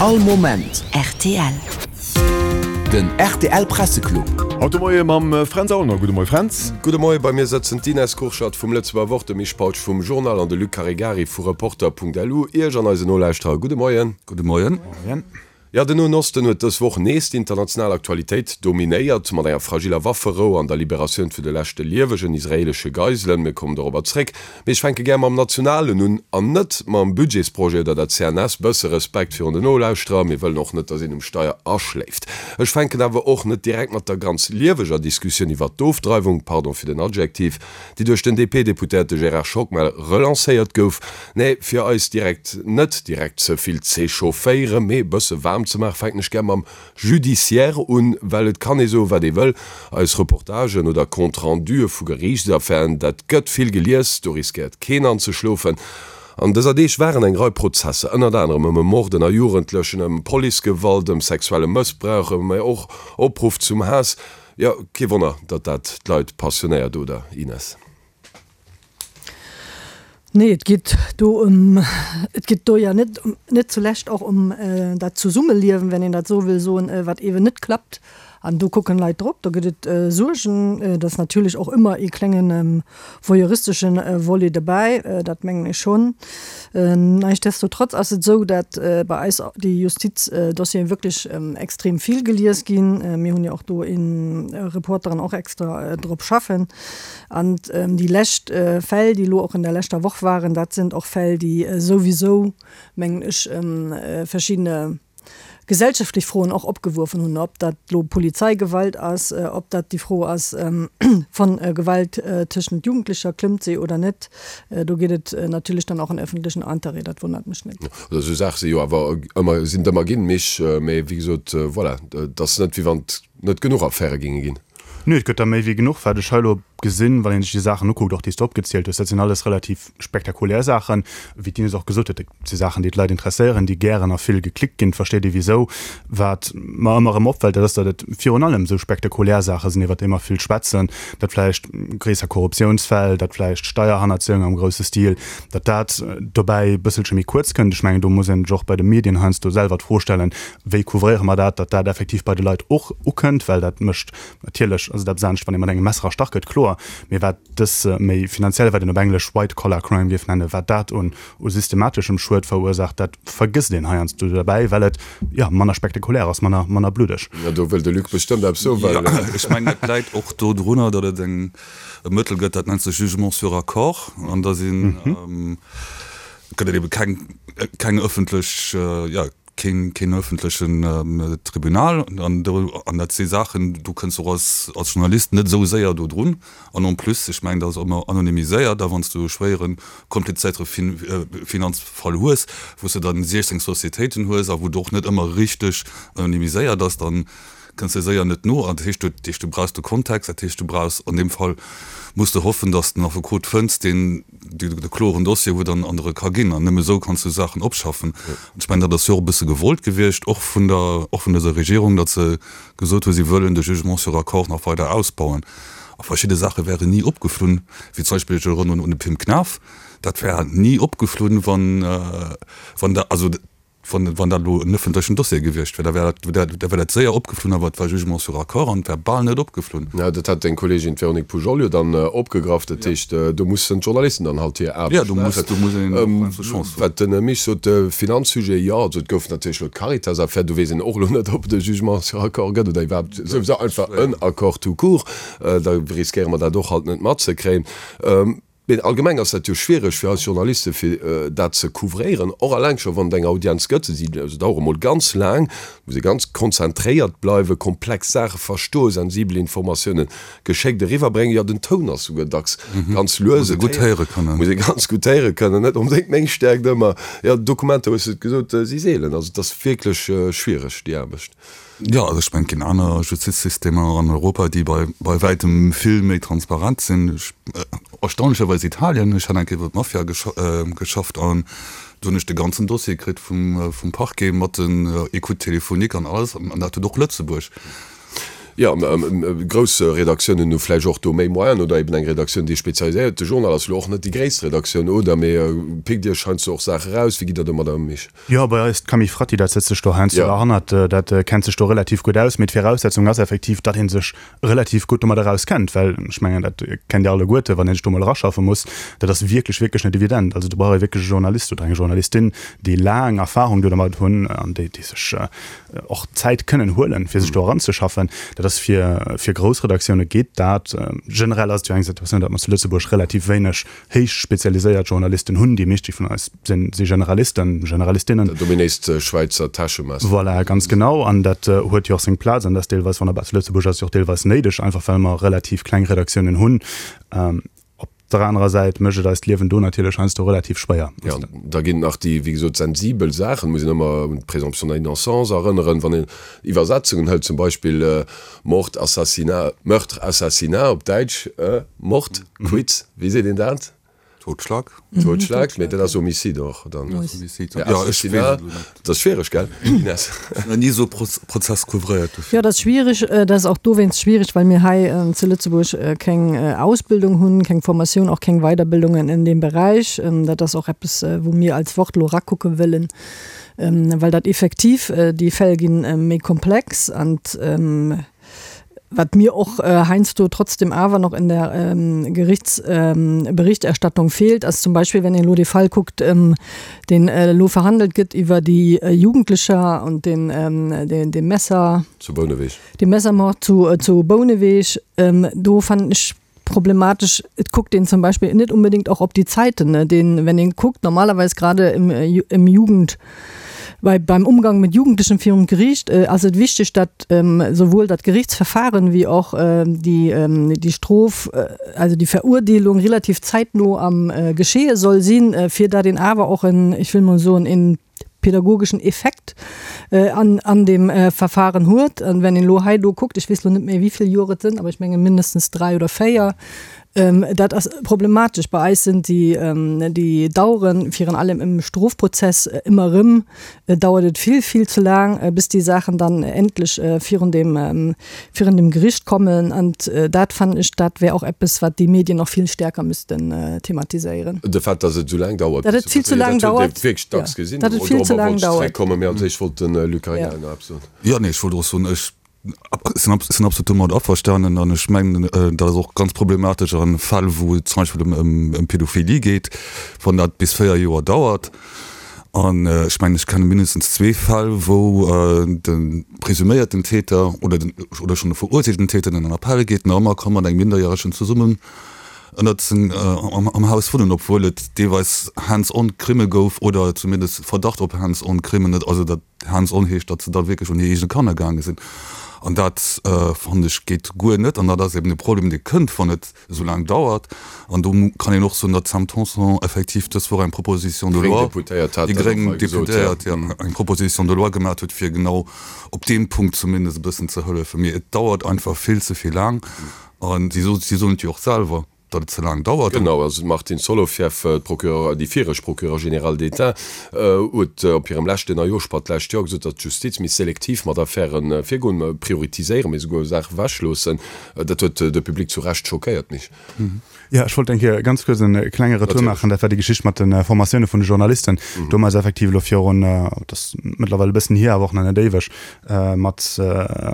All Moment rtl. Den rtl Presseclub. Haut de Moie mam Fränz Aulner. Gudde Moie Fränz. Gudde Moie, bei mir sëtzen d'Ines Kurschat vum Lëtzebuerger Wort, de Misch Pautsch vum Journal an de Luc Caregari vu Reporter.lu. Iech an eisen Nolauschterer gudde Moien. Gudde Moien. Moien. Jo, den Noen Osten huet dës Woch nees d'international Aktualitéit dominéiert, mat enger fragiller Wafferou an der Liberatioun vun de leschte liewegen israeelesche Geiselen. Mir kommen dorobber zréck. Mee ech fänke gär mam Nationalen un an net mam Budgetsprojet oder der CNS. Bësse Respekt virun den Nolauschterer, mir wëllen och net, datt een um Steier aschléift. Ech fänken awer och net direkt mat der ganz lieweger Diskussioun iwwert d'Ofdreiwung, pardon fir den Adjektiv, déi duerch den DP-Deputéierte Gérard Schockmel relancéiert gouf, nee, fir eis direkt net direkt ze vill z'echaufféieren, mee e bësse waarm ze maachen, fänken ech gär mam Judiciaire un, well et kann ee soen, wat ee wëll, eis Reportagen oder Compte-rendue vu Geriichtsaffären, dat gëtt vill gelies, do riskéiert keen anzeschlofen. An dëser Deeg waren eng Rei Prozesser, ënnert anerem ëm e Mord ënner Jugendlechen, ëm Policegewalt, ëm sexuelle Mëssbrauch, mä och Opruff zum Haass. Jo, kee Wonner, datt dat d'Leit passionéiert, oder Ines? Nee, et geet do ëm, et geet do jo net, net zulescht och ëm dat Zesummeliewen, wenn een dat esou wëll soen, wat eeben net klappt. An do kucken Leit drop, do gëtt et Suergen. Et ass natierlech och ëmmer ee klengen voyeuristesche Volet dobäi, dat mengen ech schonn. Nichtsdestotrotz ass et esou, datt bei eis déi Justizdossiere wierklech extrem vill gelies ginn. Mir hunn jo och do Reporteren och extra drop schaffen. An déi lescht Fäll, déi elo och in der leschter Woch waren, dat sinn och Fäll, déi souwisou, mengen ech, verschiddene gesellschaftlech Froen och opgeworfen hunn, ob dat elo Polizeigewalt ass, ob dat déi Fro ass von Gewalt tëschent Jugendlecher, klëmmt se oder net. Do geet et natierlech dann och en öffentlechen Interêt, dat wonnert mech net. Oder esou Saache si jo awer ëmmer, sinn et ëmmer ginn, Misch, mee wéi gesot, voilà, et ass net wéi wann et net genuch Affäre géinge ginn. Nö, et gëtt der méi wéi genuch. Wat ech hei elo gesinn, wann een sech déi Saachen ukuckt, och déi s de opgezielt hues, dat sinn alles relativ spektakulär Saachen. Wéi d'Ines och gesot huet, dat si Saachen, déi d'Leit interesséieren, déi gären a vill geklickt ginn. Et versteet ee wisou. Wat mer ëmmer erëm opfält, dat ass, datt et virun allem esou spektakulär Saache sinn, iwwer déi mer vill schwätzen, datt vläicht gréisser Korruptiounsfäll, datt vläicht Steierhannerzéiung am grousse Stil, datt dat dobäi e bësselche méi kuerz kënnt. Ech mengen, do muss een sech och bei de Medien heiansdo selwer d'Fro stellen, Wéi couvréiere mer dat, datt dat effektiv bei de Leit och ukënnt? Well dat mécht natierlech, ass et eppes anescht, wann ee mat engem Messer erstach gëtt, kloer, mee wat dës méi finanziell, wat een op Englesch white collar crime géif nennen, wat dat un u systemateschem Schued verursaacht, dat vergësst een heiansdo dobäi, well et, jo, manner spektakulär ass, manner, manner bluddeg. Jo, do wëll de Luc bestëmmt eppes soen, well. Jo, ech mengen, dat läit och dodrunner, datt et eng, e Mëttel gëtt, dat nennt sech Jugement sur accord, an da sinn, gëtt et ebe keng, keng ëffentlech, jo, keen, keen öffentlechen Tribunal an do, an dat si Saachen, do kënns du och als, als Journalist net esou séier do drun. An en plus, ech mengen, dat ass och ëmmer anonymiséiert, a wann s du e schwéieren, komplizéitere Fin, Finanzfall hues, wou s de dann 16 Societéiten hues a wou et och net ëmmer richteg anonymiséiert ass, dann kënns de séier net no. An dat heescht, du, dat heescht, du brauchs de Kontext, dat heescht, du brauchs an deem Fall muss de hoffen, datt s de en Affekot fënns, deen de kloren Dossier huet an an der e ka ginn. An nëmme esou kanns du Saachen opschaffen. An ech mengen, dat ass jo och e bësse gewollt gewiescht, och vun der, och vun dëser Regierung, datt se gesot hu si wëllen de Jugement sur accord nach weider ausbauen. A verschidde Saache wären ni opgeflunn, wéi zum Beispill, ech erënneren un de Pim Knaff, dat wär ni opgeflunn, wann, wann da, also Wann, wann dat elo en ëffentlechen Dossier gewiescht wär, da wär dat, da wär dat séier opgeflunn, awer et war Jugement sur accord an et wär bal net opgeflunn. Jo, dat hat deng Kolleegin d'Véronique Poujol jo dann opgegraff. Dat heescht, do mussen d'Journalisten dann halt hir Aarbecht maachen. Jo, do muss, do muss een och einfach Chance hunn. Wat den Misch sot, de Finanzsujet, jo, also et gouf natierlech elo d'Caritas-Affär, do weess een och elo net, ob et e Jugement sur accord gëtt oder iwwerhaapt souwisou einfach en Accord tout court. Da riskéiere mer dat och halt net matzekréien. Mee allgemeng ass dat jo schwiereg fir eis Journalisten, fir dat ze couvréieren, och alleng scho wann et eng Audienz gëtt. Se dauere mol ganz laang, muss ee ganz konzentréiert bleiwen, komplex Saache verstoen, sensibel Informatiounen geschéckt eriwwerbréngen. Jo, den Toun ass souguer dacks ganz lues. Muss ee gutt héiere kënnen. Muss ee ganz gutt héiere kënnen, net onbedéngt meng Stäerkt ëmmer. Jo, Dokumenter, hues de et gesot, si seelen. Also et ass wierklech schwiereg, déi Aarbecht. Jo, also ech mengen, et ginn aner Justizsystemer an Europa, déi bei bei wäitem vill méi transparent sinn. Erstaunlecherweis Italien. Ech hat eng Kéier iwwer d'Mafia geschafft an do hunn ech de ganzen Dossier kritt vum vum Parquet mat den Écoutes téléphoniques an alles, an dat huet och Lëtzebuerg. Jo, grouss Redaktiounen hu vläicht och do méi Moyenen oder eben eng Redaktioun, déi spezialiséiert. De Journal ass elo och net déi gréisst Redaktioun, oder? Mee pickt Iech heiansdo och Saache raus? Wéi gitt Der domadder ëm, Mich? Jo, bei eis, d'Camille Fratti, dat sëtzt sech do heiansdo derhannert, dat kennt sech do relativ gutt aus. Mee d'Viraussetzung ass effektiv, datt ee sech relativ gutt domadder auskennt, well ech mengen, dat kennt Dir alleguerte, wann een sech do mol eraschaffe muss, dat ass wierklech, wierklech net evident. Also do brauch ee wierklech e Journalist oder eng Journalistin, déi laang Erfahrung do domat hunn an déi, déi sech och Zäit kënnen huelen, fir sech do eranzeschaffen. Dat ass fir, fir grouss Redaktioune geet dat. Generell ass et jo eng Situatioun, datt mer zu Lëtzebuerg relativ wéineg héich spezialiséiert Journalisten hunn. Déi meescht vun eis sinn, si Generalisten, Generalistinnen. Dat ominéist Schwäizer Täschemesser. Voilà, ganz genau. An dat huet jo och seng Plaz an dat ass deelweis wonnerbar. Zu Lëtzebuerg ass et jo och deelweis néideg, einfach well mer relativ kleng Redaktiounen hunn. Op der anerer Säit mécht et eis d'Liewen do natierlech heiansdo relativ schwéier. Jo, an da ginn et nach déi, wéi gesot, sensibel Saachen. Et muss een ëmmer un d'Présomption d'innocence erënneren, wann een Iwwersetzungen hëlt, zum Beispill Mord, Assassinat, Meurtre, Assassinat op Däitsch, Mord, Quiz, wéi seet een dat? Totschlag. Totschlag, mee dat ass Homicide och dann. Dat ass Homicide, ja. Ja, ech weess et elo net. Dat ass schwiereg, gell, Ines? Ech hunn nach ni esou e Prozess couvréiert dofir. Jo, dat ass schwiereg. Dat ass och dowéinst schwiereg, well mir hei zu Lëtzebuerg keng Ausbildung hunn, keng Formatioun, och keng Weiderbildungen en deem Beräich. Dat ass och eppes, wou mir als Wort elo erakucke wëllen, well dat effektiv, déi Fäll gi méi komplex an wat mir och heiansdo trotzdem awer noch in der Gerichtsberichterstattung fehlt, ass zum Beispill, wenn een elo dee Fall kuckt, deen elo verhandelt gëtt iwwer déi Jugendlecher und den, den Messer, Zu Bouneweg. de Messermord zu, zu Bouneweg, do fannen ech problematesch, et kuckt een zum Beispill net unbedingt och op déi Zäiten, ne, deen, wenn een kuckt, normalerweis gerade im, im Jugend, bei, beim Umgang mit Jugendlichen virum Gericht ass et wichteg, datt souwuel dat Gerichtsverfahren wéi och déi, déi Strof, also déi Verurteelung relativ zeitno am Geschehe soll sinn, fir datt een awer och en, ech wëll mol soen, en pädagogeschen Effekt an, an deem Verfahren huet. An wenn een elo hei do kuckt, ech weess elo net méi wéivill Joer et sinn, awer ech menge mindestens 3 oder 4, dat ass problematesch. Bei eis sinn déi, déi Daueren, virun allem im Strofprozess, ëmmer erëm dauert et vill, vill ze laang, bis déi Saachen dann endlech virun dem, virun dem Gericht kommen. An dat fannen ech, dat wär och eppes, wat déi Medien nach vill stärker müssten thematiséieren. De Fait, dass et esou laang dauert, Datt et vill ze laang dauert, dat huet ee wierklech dacks gesinn. Datt et vill ze laang dauert. Zréckkommen, mee als éischt wollt de Luc Hariel nach eppes soen. Jo, nee, ech wollt och soen, ech sinn absolut domat averstanen an ech mengen, dat ass och ganz problematesch a Fäll, wou et zum Beispill ëm Pädophilie geet, wann dat bis 4 Joer dauert. An ech mengen, ech kenne mindestens zwee Fäll, wou de presuméierten Täter oder den oder schonn de verurteelten Täter, deen an Appell geet, nach ëmmer ka mat engem Minderjäregen zesummen ënnert am Haus wunnen, obwuel et deelweis hands-on-Crimme gouf oder zumindest Verdacht op hands-on-Crimmen. Also dat hands-on heescht, datt se da wierklech un hir eegene Kanner gaange sinn. An dat, fannen ech, geet guer net. An dat ass eben e Problem, dee kënnt, wann et esou laang dauert. An do kann een och soen, datt d'Sam Tanson effektiv dës Woch eng Proposition de loi, déi gréng Deputéiert, jo, eng Proposition de loi gemaat huet, fir genau op deem Punkt zumindest e bëssen ze hëllefen. Mee et dauert einfach vill ze vill laang. A si soen et jo och selwer, datt et ze laang dauert. Genau, also d'Martine Solovieff, d'Procureure, déi viregt Procureure générale d'État, huet op hirem leschten Neijooschpatt d'lescht Joer gesot, datt d'Justiz misst selektiv mat Affäre virgoen, prioritiséieren, mee souguer Saache ewechloossen. Dat huet de Public zu Recht schockéiert, Mich. Jo, ech wollt eng Kéier ganz kuerz e klenge Retour maachen. Dat war déi Geschicht mat de Formatioune vun de Journalisten. Do hu mer eis effektiv elo virun, dat ass mëttlerweil e bëssen hier, awer och nach net éiweg, mat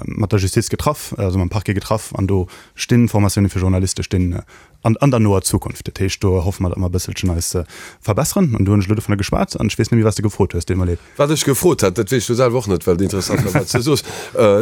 mat der Justiz getraff, also mam Parquet getraff. An do stinn Formatioune fir Journaliste stinn an an der noer Zukunft. Dat heescht, do hoffe mer, datt mer e bësselchen eis verbesseren. An do hunn ech elo dovunner geschwat an ech weess net méi, wat s de gefrot hues. Deet mer leed. Wat ech gefrot hat, dat weess ech lo selwer och net, well et interessant war, wat s de soos.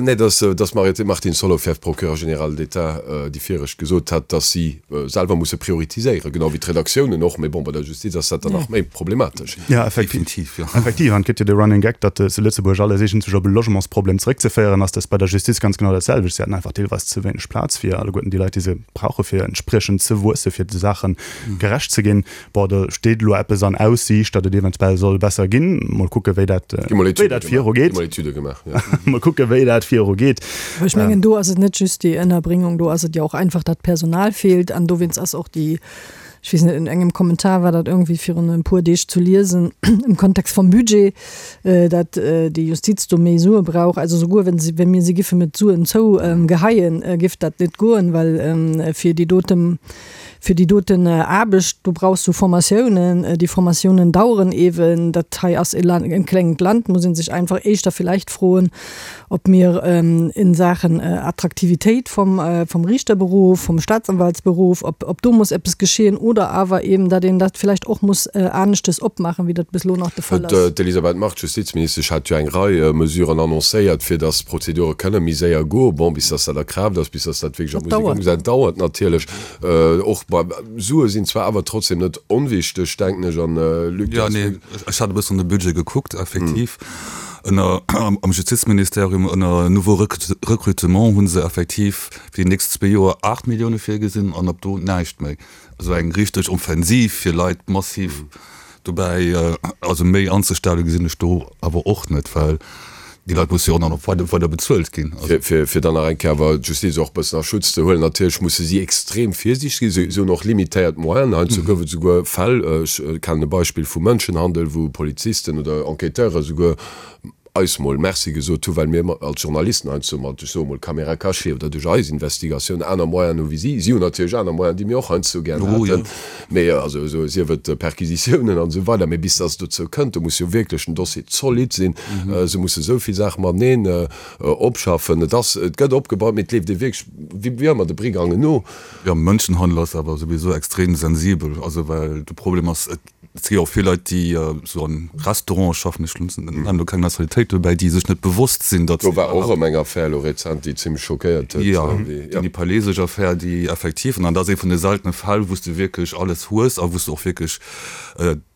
Nee, dass, dass d'Martine Solovieff, Procureure générale d'État, déi viregt gesot hat, dass si selwer musse prioritiséieren, genau wéi d'Redaktiounen och. Mee bon, bei der Justiz ass dat dann nach méi problematesch. Ja, effektiv. Effektiv. An et gëtt jo de Running Gag, datt zu Lëtzebuerg alles iergendwéi op e Logementsproblem zeréckzeféieren ass. Dat ass bei der Justiz ganz genau dat selwecht. Si hätten einfach deelweis ze wéineg Plaz fir alleguerten déi Leit, déi se brauche fir entspriechend ze wuessen, fir de Saache gerecht ze ginn. Bon, do steet elo eppes an Aussiicht, datt et eventuell soll besser ginn. Mol kucke wéi dat, wéi dat viru geet. Mol kucke wéi dat viru geet. Awer ech mengen, do ass et net just déi Ënnerbringung, do ass et jo och einfach, datt Personal feelt an dowéinst ass och déi. Ech weess net, in engem Kommentar war dat irgendwie virun e puer Deeg zu liesen, im Kontext vom Budget, datt déi Justiz do méi Sue brauch. Also souguer wenn se, wenn mir se giffe mit Suen zougeheien, giff dat net goen, well fir déi dote, fir déi doten Aarbecht, do brauchs du Formatiounen, déi Formatiounen daueren eeben. Dat hei ass e Land, e klengt Land, muss ee sech einfach éischter villäicht froen, ob mir in Saachen Attraktivitéit vom, vom Riichterberuf, vom Staatsanwaltsberuf, ob, ob do muss eppes geschehen oder awer eben, datt een dat vielleicht och muss aneschtes opmaachen, wéi dat bis elo nach de Fall ass. D'Elisabeth Margue, Justizministesch, hat jo eng Rei Mesuren annoncéiert, fir datt d'Prozedure kënne méi séier goen. Bon, bis datt dat a Kraaft ass, bis datt dat wierklech a Musek ëmgesat, dauert natierlech och. Sue sinn zwar awer trotzdem net onwichteg, denken ech. An Luc, du has. Jo, nee, ech hat e bëssen an de Budget gekuckt, effektiv. Ënner, am Justizministerium ënner nouveau Recrutement hu se effektiv fir déi nächst zwee Joer 8 Millioune virgesinn an ab do näischt méi. Also eng richteg Offensiv fir Leit massiv dobäi, also méi anzestellen, gesinn ech do awer och net, well déi Leit musse jo och nach weider, weider bezuelt ginn. Fir, fir dann nach eng Kéier awer d'Justiz och e bëssen a Schutz ze huelen, natierlech musse si extrem virsiichteg sinn. Si hunn och limitéiert Moyenen. Heiansdo gouf et souguer Fäll, ech kennen e Beispill vu Mënschenhandel, wou Polizisten oder Enquêteure souguer eis mol Merci gesot hu well mir als Journalisten heiansdo mat, ech soe mol, Caméra cachée oder duerch eis Investigatioun aner Moyenen hu wéi si. Si hunn natierlech aner Moyenen, déi mir och heiansdo gären hätten, mee also esou sief et Perquisitiounen an esou weider. Mee bis datt et dozou kënnt, do muss jo wierklech den Dossier zolidd sinn, se musse esou vill Saache mateneen opschaffen. Et ass, et gëtt opgebaut, mee et leeft ee wierklech wéi ëmmer de Brigangen no. Jo, Mënschenhandel ass awer souwisou extrem sensibel, also well de Problem ass, et Et si jo och vill Leit, déi esou an Restaurante schaffen, ech nennen elo keng Nationalitéit dobäi, déi sech net bewosst sinn, datt Do war och erëm eng Affär elo rezent, déi zimlech schockéiert huet. Jo, déi nepalesesch Affär, déi effektiv, an dat ass ee vun de seltene Fäll, wou s de wierklech alles hues a wou s de och wierklech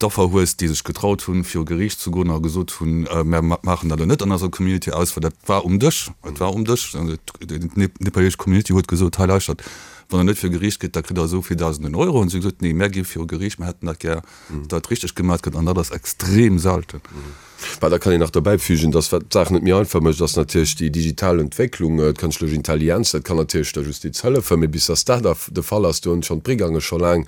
d'Affer hues, déi sech getraut hunn, viru Geriicht ze goen a gesot hunn, Mär maachen dat elo net an eiser Community aus, well dat war um Dësch, et war um Dësch. Déi nepalesesch Community huet gesot, Hei lauschtert, Wann der net viru Geriicht gitt, da kritt der esou vill Dausenden Euro. An si hu gesot, Nee, mär gi viru Geriicht, mär hätten dat gär, datt dat richteg gemaat gëtt. An dat ass extrem selten. Bah, da kann een nach derbäifügen, dass, wat d'Saach net méi einfach mécht, ass natierlech déi digital Entwécklung, d'kënschtlech Intelligenz. Dat kann natierlech der Justiz hëllefen, mee bis dass dat de Fall ass, do hunn schonn d'Brigange scho laang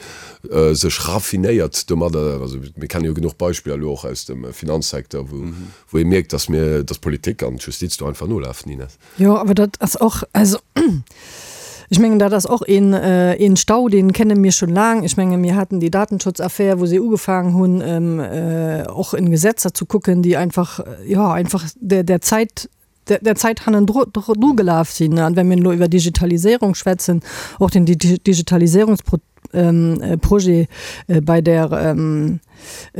sech raffinéiert domadder. Also mir kenne jo genuch Beispiller elo och aus dem Finanzsecteur, wou ee mierkt, dass mir, dass d'Politik an d'Justiz do einfach nolafen, Ines. Jo, awer dat ass och, also ech mengen, dat ass och een, een Stau, dee kenne mir schon laang. Ech menge mir haten déi Datenschutzaffär, wou se ugefaangen hunn, och in Gesetzer zu kucken, déi einfach, jo, einfach der, der Zäit, der, der Zäit hannendru gelaf sinn. An wa mir elo iwwer Digitaliséierung schwätzen, och den Digitalisierungspro Projet bei der,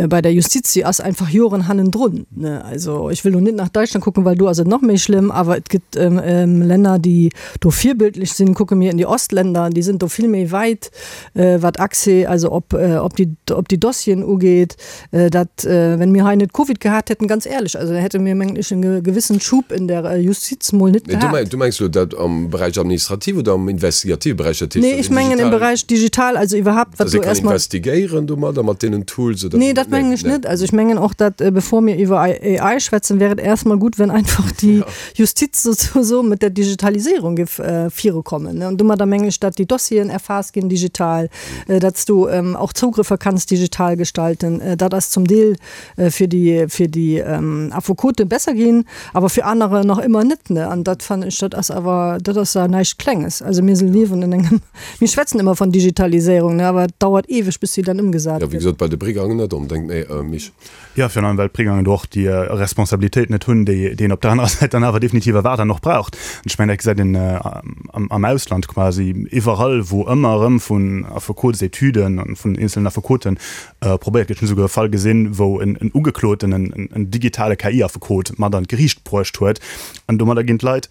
bei der Justiz, déi ass einfach Joren hannendrun. Also ech wëll elo net nach Deutschland kucken, well do ass et nach méi schlëmm, awer et gëtt Länner, déi do virbildlech sinn. Kucke mir in die Ostländer, déi sinn do vill méi wäit, wat Accès also op, op déi, op déi Dossieren ugeet. Dat, wenn mir hei net Covid gehat hätten, ganz ehrlech, also da hätte mir, mengen ech, e gewissen Schub in der Justiz mol net gehat. Du mengs elo dat am Beräich administrativ oder am investigative Beräich? Dat heescht, Nee, ech mengen im Beräich digital, also iwwerhaapt, wat do erst mal. Investigéieren domadder, mat deenen Tools oder? Nee, dat mengen ech net. Also ech mengen och, dat bevor mir iwwer AI schwätzen, wär et erst mal gut, wenn einfach déi Justiz sozusagen mit der Digitalisierung giff virukommen. An domadder mengen ech, dat déi Dossieren erfaasst ginn digital, datt s du och Zougrëffer kanns digital gestalten. Dat ass zum Deel fir déi, fir déi Affekote besser ginn, awer fir anerer nach ëmmer net. An dat fannen ech, dat ass awer, dat ass awer näischt Klenges. Also mir liewen an engem, mir schwätzen ëmmer von Digitaliséierung, awer et dauert eweg, bis si dann ëmgesat gëtt. Jo, wéi gesot, bei de Brigangen net onbedéngt, mee Mich. Jo, virun allem well d'Brigangen do och déi Responsabilitéit net hunn, déi een op der anerer Säit dann awer definitiv erwaart an och braucht. An ech mengen, dat gesäit een am Ausland quasi iwwerall, wou ëmmer erëm vun Affekotsetüden an vun eenzelnen Affekote probéiert gëtt. Ech hunn esouguer e Fall gesinn, wou en Ugekloten en digitale KI-Affekot mat an d'Geriicht bruecht huet an domadder ginn d'Leit,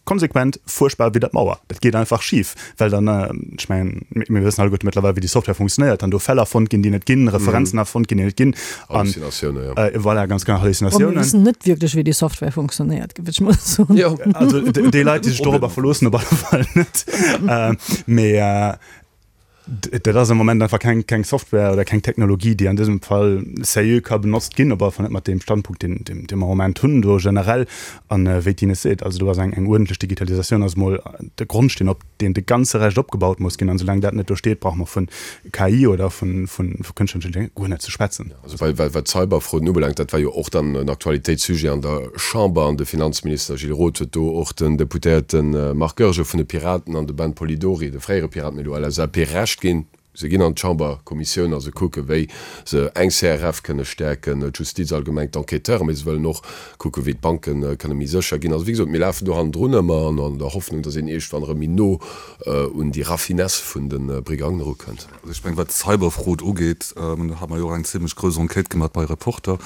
Konsequent fuerchtbar widder d'Mauer. Dat geet einfach schif, well dann, ech mengen, mir wëssen alleguerte mëttlerweil, wéi déi Software funktionéiert, dann do Fäll erfonnt ginn, déi net ginn, Referenzen erfonnt ginn, déi net ginn. Halluzinatiounen, jo. Voilà, ganz genau, Halluzinatiounen. Bon, mir wëssen net wierklech, wéi déi Software funktionéiert, géif ech mol soen. Jo. Also déi Leit, déi sech dorobber verloossen, op alle Fall net. Mee. Dat ass am Moment einfach keng, keng Software oder keng Technologie, déi an dësem Fall seriö ka benotzt ginn, op alle Fall net mat deem Standpunkt, deen, deen, dee mer am Moment hunn do generell. An wéi d'Ines seet, also do ass eng, eng uerdentlech Digitalisatioun ass emol de Grondsteen, op deen de ganze Rescht opgebaut muss ginn. An soulaang dat net do steet, brauche mer vun KI oder vun, vun, vu kënschtlecher Intelligenz guer net ze schwätzen. Also wat d'Cyberfrauden ubelaangt, dat war jo och dann en Aktualitéitssujet an der Chamber an de Finanzminister Gilles Roth huet do och den Deputéierte Marc Goergen vun de Piraten an de Ben Polidori, de fréiere Pirat, mee elo LSAP, Recht ginn. Se ginn an d'Chamberkommissioun a se kucke wéi se eng CRF kënne stäerken, d'Justiz allgemeng, d'Enquêteuren, mee se wëllen och kucke wéi d'Banke kënne méi sécher ginn. Also wéi gesot, mir lafen do hannendrun ëmmer an an der Hoffnung, datt een iergendwann erëm méi no un déi Raffinesse vun de Brigangen erukënnt. Also ech mengen, wat d'Cyberfraude ugeet, do hate mer jo och eng zimlech grouss Enquête gemaach bei Reporter.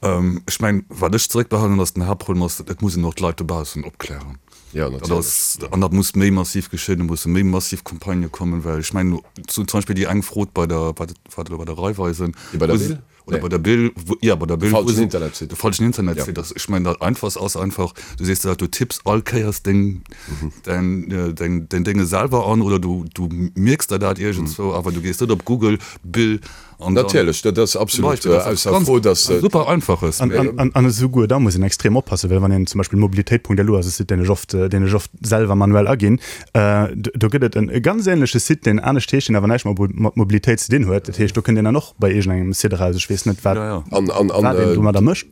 Ech mengen, wat ech zeréckbehalen hunn, ass, den Haaptproblem ass, et muss een och d'Leit dobaussen opklären. Jo, natierlech. An dat muss méi massiv geschéien, do musse méi massiv Campagnë kommen, well ech mengen, zum Beispill déi eng Fraude bei der, wat war dat elo, bei der Raiffeisen, Déi bei der Bill? Oder bei der Bill, jo, bei der Bill, De falschen Internetsite. De falschen Internetsite. Ja. Ech mengen, dat Einfachst ass einfach, du sees der, du tipps all Kéiers deng, däin, däin, däin Dénge selwer an oder du, du mierks der dat iergendzwou, awer du gees net op Google, Bill an dann. Natierlech, dat ass absolut ausser Fro, dass. Super Einfaches. An, an esouguer da muss een extrem oppassen, well wann een zum Beispill mobilitéit.lu ass e Site, deen ech oft, deen ech oft selwer manuell aginn, Do gëtt et e ganz änleche Site, deen anescht heescht, deen awer näischt mat Mobilitéit ze dinn huet. Dat heescht, do kënnt een dann och bei iergendengem Site eraus. Ech weess net, wat een domadder mécht.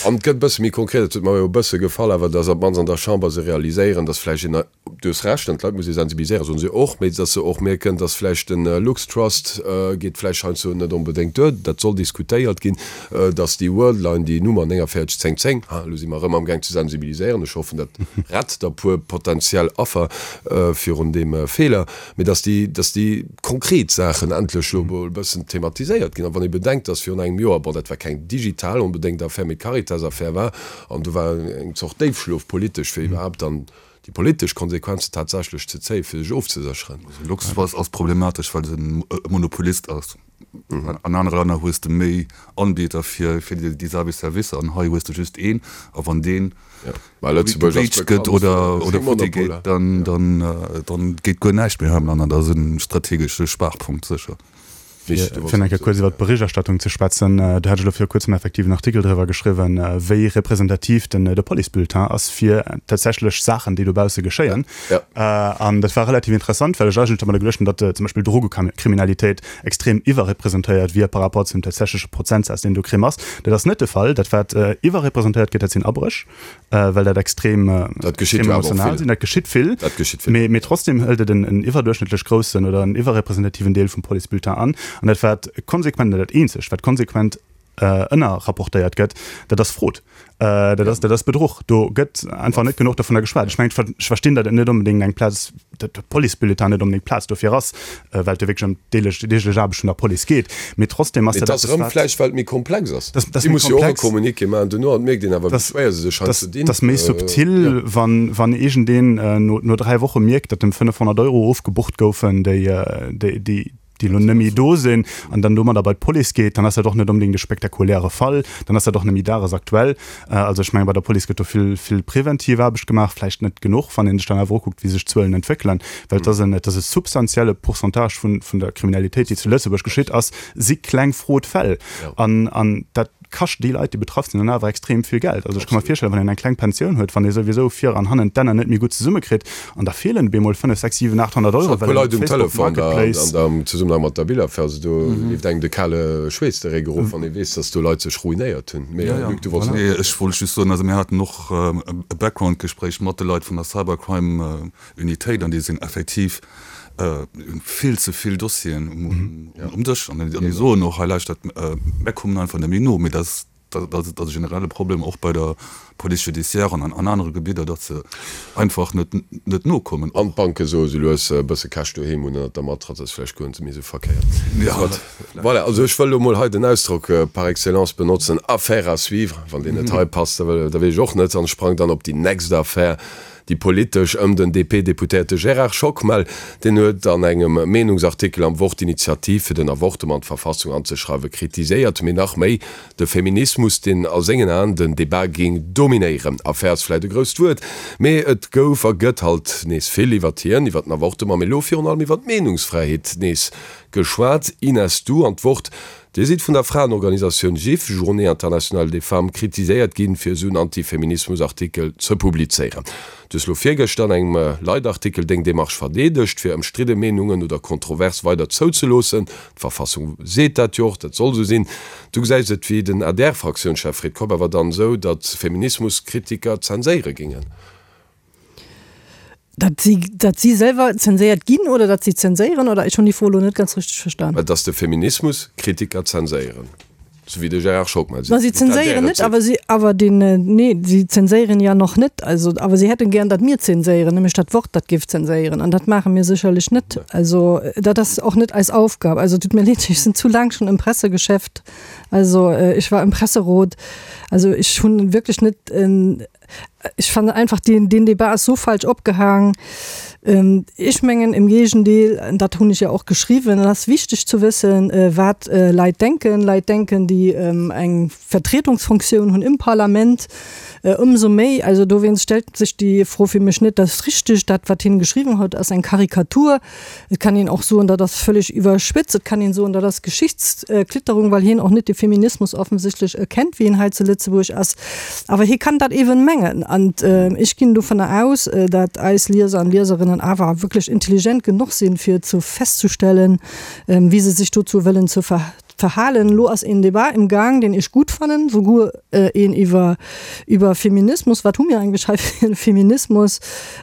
An et gëtt e bësse méi konkret, dat huet mer jo e bësse gefall awer, datt op d'mannst an der Chamber se realiséieren, datt vläicht een, du hues Recht, an d'Leit muss ee sensibiliséieren, soen se och, mee datt se och mierken, datt vläicht de LuxTrust geet vläicht heiansdo net onbedéngt duer, dat soll diskutéiert ginn, dass déi Worldline, déi Nummer 49 10 10, ha, elo si mer erëm amgaang ze sensibiliséieren, ech hoffen, dat rett der puer potenziell Affer virun deem Feeler, mee dass déi, dass déi konkret Saachen endlech elo emol e bëssen thematiséiert ginn. A wann ee bedenkt, dass virun engem Joer, bon, dat war keng digital onbedéngt Affär, mee d'Caritas-Affär war, an do war eng Zort Déifschlof politesch, fir iwwerhaapt dann déi politesch Konsequenzen tatsächlech ze zéien, fir sech ofzesécheren. Luxtrust ass problematesch, well se e Monopolist ass. An anere Länner hues de méi Anbieter fir déi selwecht Servicer an hei hues de just een. A wann deen gebreached gëtt oder futti geet, dann geet guer näischt méi hei am Land an dat ass e strategesche Schwaachpunkt sécher. Fir eng Kéier kuerz iwwer d'Berichterstattung ze schwätzen, do hat ech elo viru kuerzem effektiv en Artikel driwwer geschriwwen, wéi representativ den de Policebulletin ass fir tatsächlech Saachen, déi dobausse geschéien. An dat war relativ interessant, well ech eigentlech domadder geduecht hunn, datt zum Beispill Drogekriminalitéit extrem iwwerrepresentéiert wier par rapport zum tatsächleche Prozentsaz, deen do Crime ass. Dat ass net de Fall. Dat, wat iwwerrepresentéiert gëtt, dat sinn Abréch, well dat extrem emotional sinn. Dat geschitt vill. Dat geschitt vill. Mee trotzdem hëlt et en iwwerduerchschnëttlech groussen oder en iwwerrepresentativen Deel vum Policebulletin an. An dat, wat konsequent, dat eenzegt, wat konsequent ënnerrapportéiert gëtt, dat ass Frod, dat ass, dat ass Bedruch. Do gëtt einfach net genuch dovunner geschwat. Ech mengen, ech verstinn, datt et net onbedéngt eng Plaz, datt de Policebulletin net onbedéngt d'Plaz dofir ass, well et jo wierklech ëm d'deelech, deeglech Aarbecht vun der Police geet. Mee trotzdem ass dat eppes, wat. Mee et ass erëm vläicht, well et méi komplex ass. Si musse jo och e Communiqué maachen duerno an et mierkt een awer, wéi schwéier se sech heiansdo dinn. Dat ass méi subtil, wann, wann iergendeen no, no 3 Woche mierkt, datt em 500 Euro ofgebucht goufen, déi, déi, déi, déi elo net méi do sinn, an dann domadder bei d'Police geet, dann ass dat och net onbedéngt e spektakuläre Fall, dann ass dat och net méi dagesaktuell. Also ech menge bei der Police gëtt do vill, vill preventiv Aarbecht gemaach, vläicht net genuch, wann ee sech dann awer ukuckt, wéi sech d'Zuelen entwéckelen, well et ass en, et ass e substantielle Pourcentage vun, vun der Kriminalitéit, déi zu Lëtzebuerg geschitt ass, si kleng Fraudfäll. An, an dat kascht déi Leit, déi betraff sinn, dann awer extrem vill Geld. Also ech ka mer virstellen, wann een eng kleng Pensioun huet, wann ee souwisou vir an hannen d'Enner net méi gutt zesummekritt an da feelen bemol 5, 6, 7, 800 Euro, well een op Facebook Marketplace. An am Zesummenhang mat der Bill-Affär, also do leeft engem de kale Schweess de Réck erof, wann ee weess, datt do Leit sech ruinéiert hunn. Mee Luc, du wollts nach. Ech wollt just soen, also mir haten och e Background-Gespréich mat de Leit vun der Cybercrime Unitéit an déi sinn effektiv vill ze vill Dossieren um Dësch an déi soen och, hei lauschtert, mär kommen einfach net méi no. Mee dat ass e generelle Problem och bei der Police judiciaire an an anere Gebidder, datt se einfach net nokommen. An d'Banke soe sou lues, e bësse Cash doheem hunn ënnert der Matratz ass vläicht guer net méi sou verkéiert. Voilà, also ech wëll elo mol hei den Ausdrock par excellence benotzen, Affaire à suivre. Wann deen net hei passt, da weess ech och net. An sprang dann op déi next Affaire. Déi politesch ëm den DP-Deputéierte Gérard Schockmel, deen huet an engem Meenungsartikel am Wort d'Initiativ fir den Avortement an d'Verfassung anzeschreiwe kritiséiert, mee nach méi de Feminismus. Feminismus, deen a sengen Aen den Debat géing dominéieren. Affär ass vläit e grousst Wuert, mee et gouf a gëtt halt nees vill iwwert hien, iwwert den Avortement, mee elo virun allem iwwert d'Meenungsfräiheet nees geschwat. Ines, du an d'Wort, Dir sidd vun der Fraenorganisatioun JIF, Journée Internationale des Femmes, kritiséiert ginn, fir esou en Antifeminismus-Artikel ze publizéieren. Du hues lo virgëschter an engem Leitartikel deng Demarche verdeedegt, fir ëmstridde Meenungen oder Kontrovers weider zouzeloossen. D'Verfassung seet dat jo och, dat soll esou sinn. Du gesäis et wéi den ADR-Fraktiounschef Fred Keup awer dann esou, datt Feminismus-Kritiker zenséiere géingen. Datt si, datt si selwer zenséiert ginn oder datt si zenséieren? Oder ech hunn déi Fro elo net ganz richteg verstan. Datt de Feminismus-Kritiker zenséieren, sou wéi de Gérard Schockmel seet. Ma si zenséieren net, awer si, awer deen, nee, si zenséieren ja noch net. Also, awer si hätten gären, datt mir zenséieren, nämlech dat Wort, dat géif zenséieren. An dat maache mir sécherlech net. Also, dat ass och net eis Aufgab. Also, tut mir leed, ech sinn zu laang schonn im Pressegeschäft. Also, ech war im Presserot. Also, ech hunn wierklech net, Ech fannen einfach deen, deen Débat ass sou falsch opgehaang. Ech mengen im Gegendeel, an dat hunn ech jo och geschriwwen, et ass wichteg ze wëssen, wat Leit denken. Leit denken, déi eng Vertretungsfunktioun hunn im Parlament, ëmsou méi. Also dowéinst stellt sech déi Fro fir mech net. Dat ass richteg, dat wat hien geschriwwen huet, ass eng Karikatur. Et kann een och soen, dat ass völleg iwwerspitzt. Et kann een soen, dat ass Geschichtsklitterung, well hien och net de Feminismus offensichtlech kennt, wéi en hei zu Lëtzebuerg ass. Awer hie kann dat eeben mengen. An ech ginn dovunner aus, dat eis Lieser an Lieserinnen awer wierklech intelligent genuch sinn, fir zu festzustellen, wéi se sech dozou wëllen ze Verhalen. Elo ass een Debat im Gang, deen ech gutt fannen, souguer een iwwer iwwer Feminismus. Wat hu mir eigentlech hei fir e Feminismus?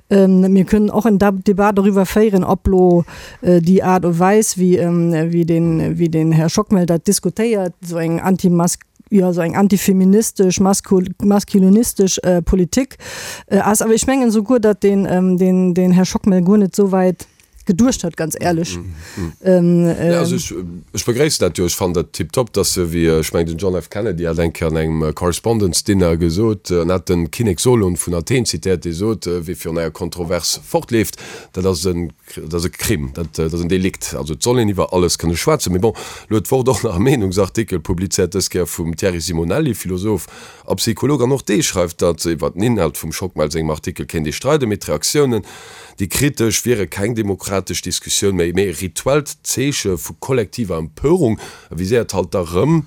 Mir kënnen och en Debat doriwwer féieren, ob elo déi Aart a Weis, wéi wéi den wéi den Här Schockmel dat diskutéiert, esou eng anti-mas jo esou eng antifeministesch, maskulinistesch Politik ass. Awer ech mengen souguer, datt den den den Här Schockmel guer net esou wäit geduecht huet, ganz éierlech. Ja, also ech, ech begréissen dat jo. Ech fannen dat tiptop, dass se, wéi ech mengen den John F. Kennedy hat eng Kéier an engem Correspondents' Dinner gesot, en hat den Kinnek Solon vun Athen zitéiert, dee sot, Wie virun enger Kontrovers fortleeft, dat ass en, dat ass e Crime, dat, dat ass en Delikt. Also et soll een iwwer alles kënne schwätzen. Mee bon, elo huet d'Wort och nach e Meenungsartikel publizéiert, dës Kéier vum Thierry Simonelli, Philosoph a Psycholog, an och dee schreift, datt iwwer den Inhalt vum Schockmel sengem Artikel kéint ee streiden, mee d'Reaktiounen, Déi kritesch wiere keng demokratesch Diskussioun méi, mee e rituellt Zeeche vu kollektiver Empörung a viséiert halt da rëm